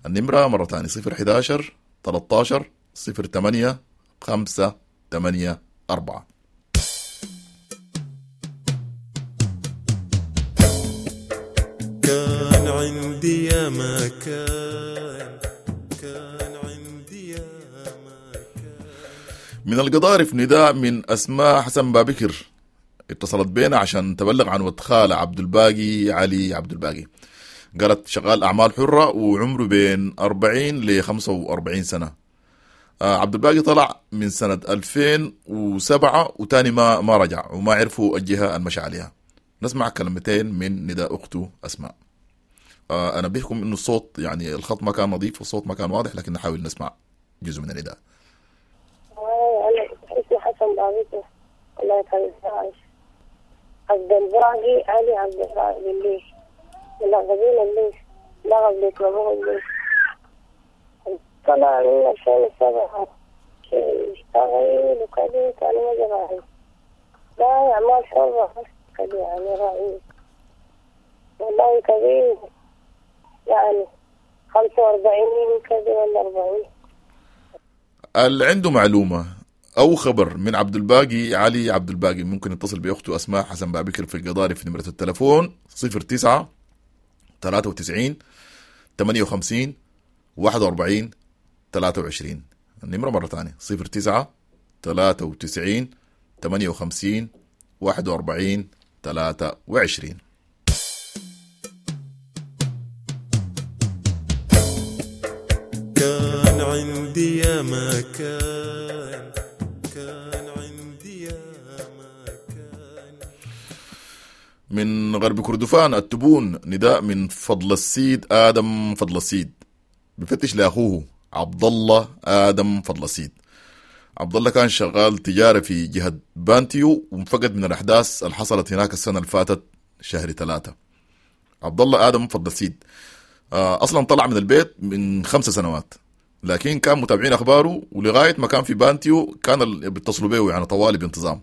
النمرة مرة تانية صفر حداشر تلتاشر صفر تمانية خمسة تمانية أربعة. كان عندي يا ما كان، كان عندي يا ما كان. من القضارف نداء من أسماء حسن بابكر، اتصلت بينا عشان تبلغ عن ود خالة عبد الباقي علي عبد الباقي. قالت شغال أعمال حرة وعمره بين أربعين ل خمسة وأربعين سنة. آه عبد الباقي طلع من سنة ألفين وسبعة وتاني ما ما رجع وما عرفوا الجهة المشى عليها. نسمع كلمتين من نداء أخته أسماء. آه أنا بيحكم إنه الصوت يعني الخط ما كان نظيف والصوت ما كان واضح، لكن نحاول نسمع جزء من النداء. أنا اسمي حسن بابكر، الله يخليك. عبد الباقي علي عبد الباقي الليش ملغبين الليش لغب بيطلبوه الليش. طلع من ألفين وسبعة اشتغل وكذا كان ما جرى لا أعمال حرة كذا يعني رأيي والله كبير يعني خمسة وأربعين كذا ولا أربعين. اللي عنده معلومة أو خبر من عبد الباقي علي عبد الباقي ممكن يتصل بأخته أسماء حسن بابكر في القضارف في نمرة التلفون صفر تسعة ثلاثة وتسعين ثمانية وخمسين واحد وأربعين ثلاثة وعشرين. النمرة مرة ثانية صفر تسعة ثلاثة وتسعين ثمانية وخمسين واحد وأربعين ثلاثة وعشرين. كان عندي يا ما كان، كان عندي يا ما كان. من غرب كردفان التبون نداء من فضل السيد آدم فضل السيد، بفتش لأخوه عبد الله آدم فضل السيد. عبد الله كان شغال تجارة في جهة بانتيو وانفقد من الأحداث اللي حصلت هناك السنة اللي فاتت شهر ثلاثة. عبد الله آدم فضل السيد أصلا طلع من البيت من خمسة سنوات، لكن كان متابعين أخباره ولغاية ما كان في بانتيو كان بيتصلوا به يعني طوالي بانتظام،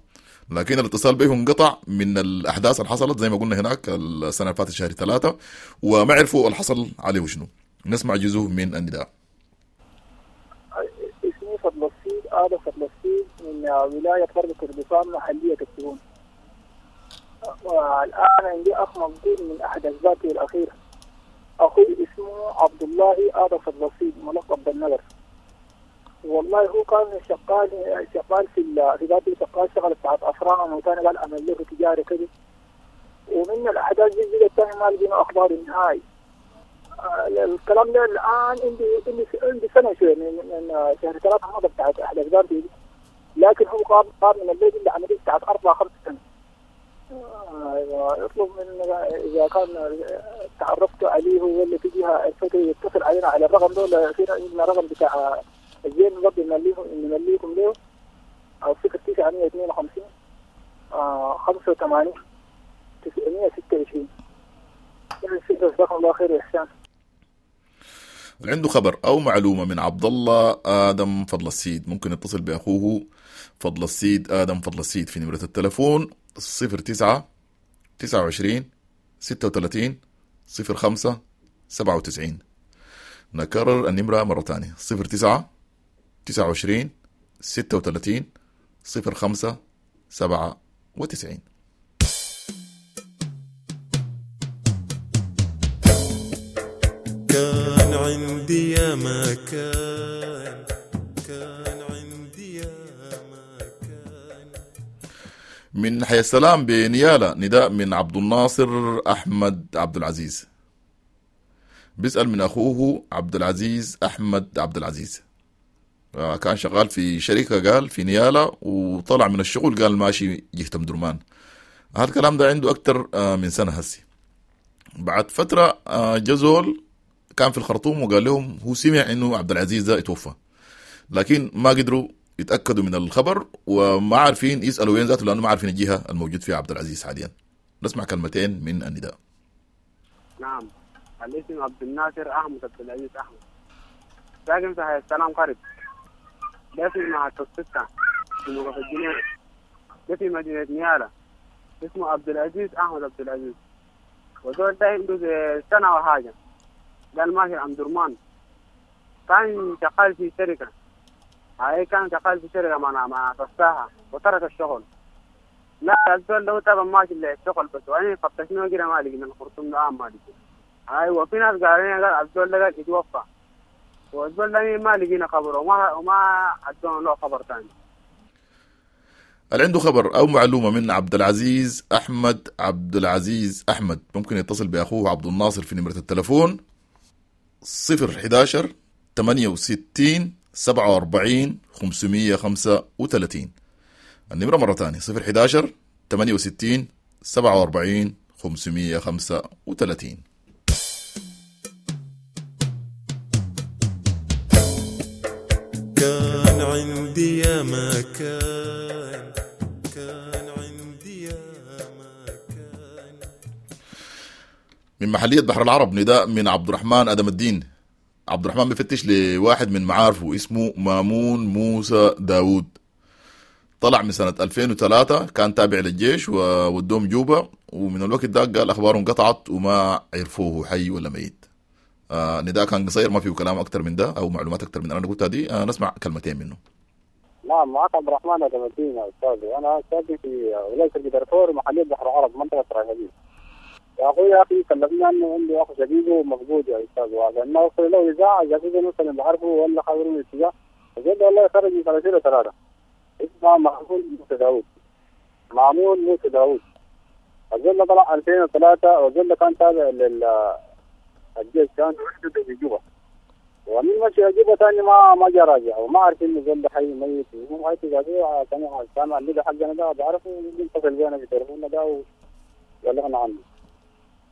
لكن الاتصال به انقطع من الأحداث اللي حصلت زي ما قلنا هناك السنة اللي فاتت شهر ثلاثة، وما عرفوا اللي حصل عليه شنو. نسمع جزء من النداء. اسمي فضل السيد آدم فضل السيد من ولاية غرب كردفان محلية التبون، والآن عندي أخ مفقود من أحد أسبابه الأخيرة. أخوي اسمه عبد الله آدم فضل السيد ملقب بالنجر. والله هو كان شغال شغال في في ذاته شغال شغل بتاعت أفران، وثاني قال أعمل له تجارة كده، ومن الأحداث دي جت ثاني ما لقينا أخبار النهائي. الكلام ده الآن عندي عندي عندي سنة شوية من من شهر ثلاثة مضى بتاعت أحداث ذاتي، لكن هو قام قام من البيت اللي عملية بتاعت أربعة خمس سنة. يطلب من إذا كان تعرفت عليه ولا في جهة عرفته يتصل علينا على الرقم ده، في عندنا رقم بتاع الزين برضه نمليهم نمليكم له أو صفر تسعة مية اثنين وخمسين خمسة وثمانين تسعمية ستة وعشرين. جزاكم الله خير وإحسان. اللي عنده خبر أو معلومة من عبد الله آدم فضل السيد ممكن يتصل بأخوه فضل السيد آدم فضل السيد في نمرة التلفون صفر تسعة تسعة وعشرين ستة وثلاثين صفر خمسة سبعة وتسعين. نكرر النمرة مرة تانية صفر تسعة تسعة وعشرين ستة وثلاثين صفر خمسة سبعة وتسعين. كان عندي يا ما كان، كان عندي يا ما كان. من حي السلام بنيالة نداء من عبد الناصر أحمد عبد العزيز، بيسأل من أخوه عبد العزيز أحمد عبد العزيز. كان شغال في شركة قال في نيالة، وطلع من الشغل قال ماشي جهة أم درمان. هذا الكلام ده عنده أكتر من سنة هسي. بعد فترة جزول كان في الخرطوم وقال لهم هو سمع إنه عبد العزيز ده اتوفى، لكن ما قدروا يتأكدوا من الخبر وما عارفين يسألوا وين ذاته لأنه ما عارفين الجهة الموجود فيها عبد العزيز حاليا. نسمع كلمتين من النداء. نعم، الاسم عبد الناصر أحمد عبد العزيز أحمد. ساكن في حي السلام قريب. ده في محطة ستة في موقف الجنينة. ده في مدينة نيالا. اسمه عبد العزيز أحمد عبد العزيز. وزول ده عنده زي سنة وحاجة. قال ماشي أم درمان. كان شغال في شركة. هاي كان شغال في شركة مع مع فساحة وترك الشغل. لا الزول ده طبعا ماشي للشغل بس وأنا فتشناه كده ما لقينا الخرطوم ده ما لقينا. أيوة في ناس قالوا لنا قال الزول ده قال يتوفى. والزول ده ما لقينا خبره وما وما أدونا له خبر ثاني. اللي عنده خبر أو معلومة من عبد العزيز أحمد عبد العزيز أحمد ممكن يتصل بأخوه عبد الناصر في نمرة التلفون صفر حداشر ثمانية وستين سبعة وأربعين خمسمية خمسة وتلاتين. النمرة مرة تانية صفر حداشر ثمانية وستين سبعة وأربعين خمسمية خمسة وتلاتين. كان عندي يا ما كان، كان عندي يا ما كان. من محلية بحر العرب نداء من عبد الرحمن أدم الدين. عبد الرحمن بيفتش لواحد من معارفه اسمه مامون موسى داوود. طلع من سنة ألفين وثلاثة، كان تابع للجيش وودوم جوبا، ومن الوقت ده قال أخباره انقطعت وما عرفوه حي ولا ميت. آه نداء كان قصير، ما فيه كلام أكتر من ده أو معلومات أكتر من أنا قلتها دي. آه نسمع كلمتين منه. نعم، معك عبد الرحمن أدم الدين يا أستاذ. أنا ساكن في ولاية دارفور محلية بحر العرب منطقة راهبين. يا أخوي يا أخي كلمنا إنه عنده أخ شقيقه مفقود يا أستاذ، وعشان نوصل له إذاعة شقيقه مثلا بعرفه ولا خبره من الاتجاه. الزول والله خرج من ثلاثين وثلاثة. اسمه معمول موسى داوود. معمول موسى داوود. الزول طلع ألفين وثلاثة، والزول كان تابع لل الجيش، كان وحدته في جوبا، ومن مشي جوبا ثاني ما ما جا راجع، وما عارف انه زول حي ميت. المهم هاي تجاوزوا كان كان عندنا حقنا ده بعرفه، يتصل بينا في تليفوننا ده وبلغنا عنه.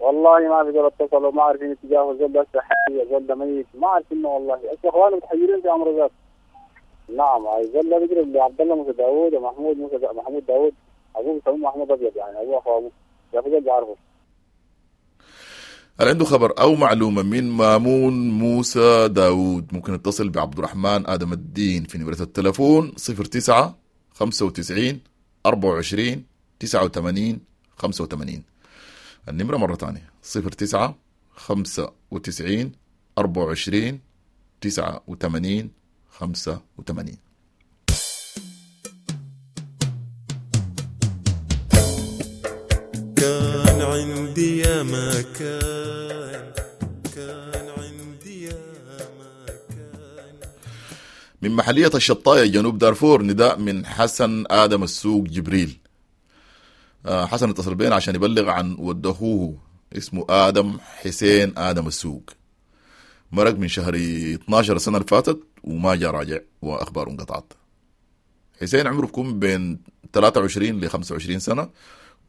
والله ما في زول اتصل وما عارفين اتجاهه، الزول ده حي الزول ده ميت ما عارفين والله. هسه اخوانه متحيرين في امر ذاته. نعم، الزول ده بيجري لعبد الله موسى داوود ومحمود موسى دا... محمود داوود، ابوه بيسموه محمود ابيض يعني، ابوه اخو ابوه يا اخو بيعرفه. هل عنده خبر أو معلومة من مامون موسى داوود ممكن يتصل بعبد الرحمن آدم الدين في نمرة التلفون صفر تسعة خمسة وتسعين أربعة وعشرين تسعة وثمانين خمسة وثمانين. النمرة مرة تانية صفر تسعة خمسة وتسعين أربعة وعشرين تسعة وثمانين خمسة وثمانين. كان عندي يا ما كان، كان عندي يا ما كان. من محلية الشطاية جنوب دارفور نداء من حسن آدم السوق جبريل. حسن اتصل بينا عشان يبلغ عن ود أخوه اسمه آدم حسين آدم السوق، مرق من شهر اثناشر السنة اللي فاتت وما جاء راجع وأخباره انقطعت. حسين عمره بيكون بين ثلاثة وعشرين ل خمسة وعشرين سنة،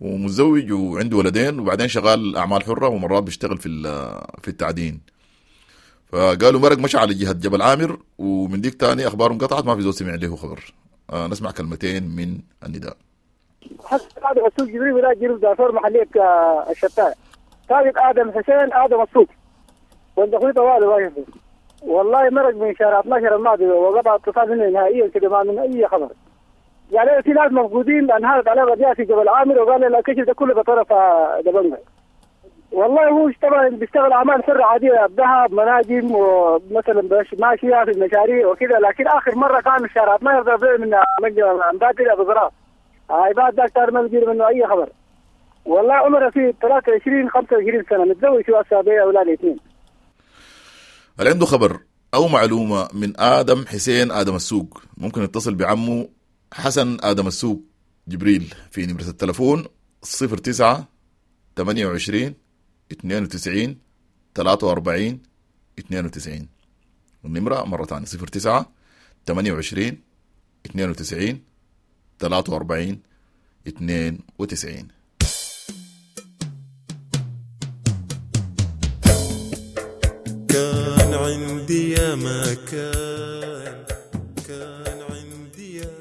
ومتزوج وعنده ولدين، وبعدين شغال أعمال حرة ومرات بيشتغل في في التعدين. فقالوا مرق مشى على جهة جبل عامر، ومن ديك تاني أخباره انقطعت، ما في زول سمع له خبر. آه نسمع كلمتين من النداء. حسن آدم السوق جبريل ولاية جنوب دارفور محلية الشتاء. طالب آدم حسين آدم السوق ولد أخوي طوال واقف. والله مرق من شهر اثناشر الماضي وقطع اتصال منه نهائيا كده، ما من أي خبر. يعني في ناس مفقودين انهارت عليه رجاء في جبل عامر، وقال الكشف ده كله بطرف دبنجة. والله هو طبعا بيشتغل اعمال حره عاديه، ذهب مناجم ومثلا ماشيه في المشاريع وكذا، لكن اخر مره كان الشارع ما يرضى من منجم بادر ابو زراع. هاي بعد ذاك صار ما بيجي منه اي خبر. والله عمره في ثلاثة وعشرين خمسة وعشرين سنه، متزوج واسابيع اولاد اثنين. هل عنده خبر او معلومه من ادم حسين ادم السوق ممكن يتصل بعمه حسن آدم السوق جبريل في نمرة التلفون صفر تسعة ثمانية وعشرين اثنين وتسعين ثلاثة وأربعين اثنين وتسعين. النمرة مرة ثانية صفر تسعة ثمانية وعشرين اثنين وتسعين ثلاثة وأربعين اثنين وتسعين. كان عندي يا ما كان، كان عندي يا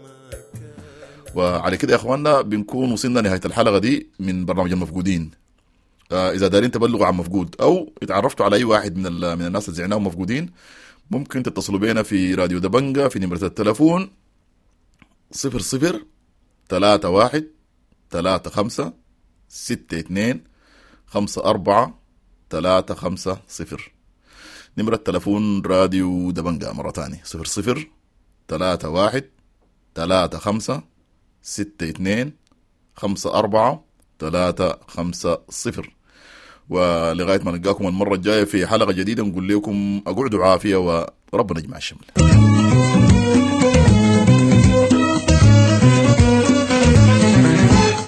ما كان. وعلى كده يا اخواننا بنكون وصلنا نهاية الحلقة دي من برنامج المفقودين. آه إذا دارين تبلغوا عن مفقود أو اتعرفتوا على أي واحد من من الناس اللي زعناهم مفقودين، ممكن تتصلوا بينا في راديو دبنجة في نمرة التلفون صفر صفر تلاتة واحد تلاتة خمسة ستة اتنين خمسة أربعة تلاتة خمسة صفر. نمرة تلفون راديو دبنجة مرة تانية صفر صفر تلاتة واحد تلاتة خمسة ستة اتنين خمسة أربعة تلاتة خمسة صفر. ولغاية ما نلقاكم المرة الجاية في حلقة جديدة نقول لكم أقعدوا عافية وربنا يجمع الشمل.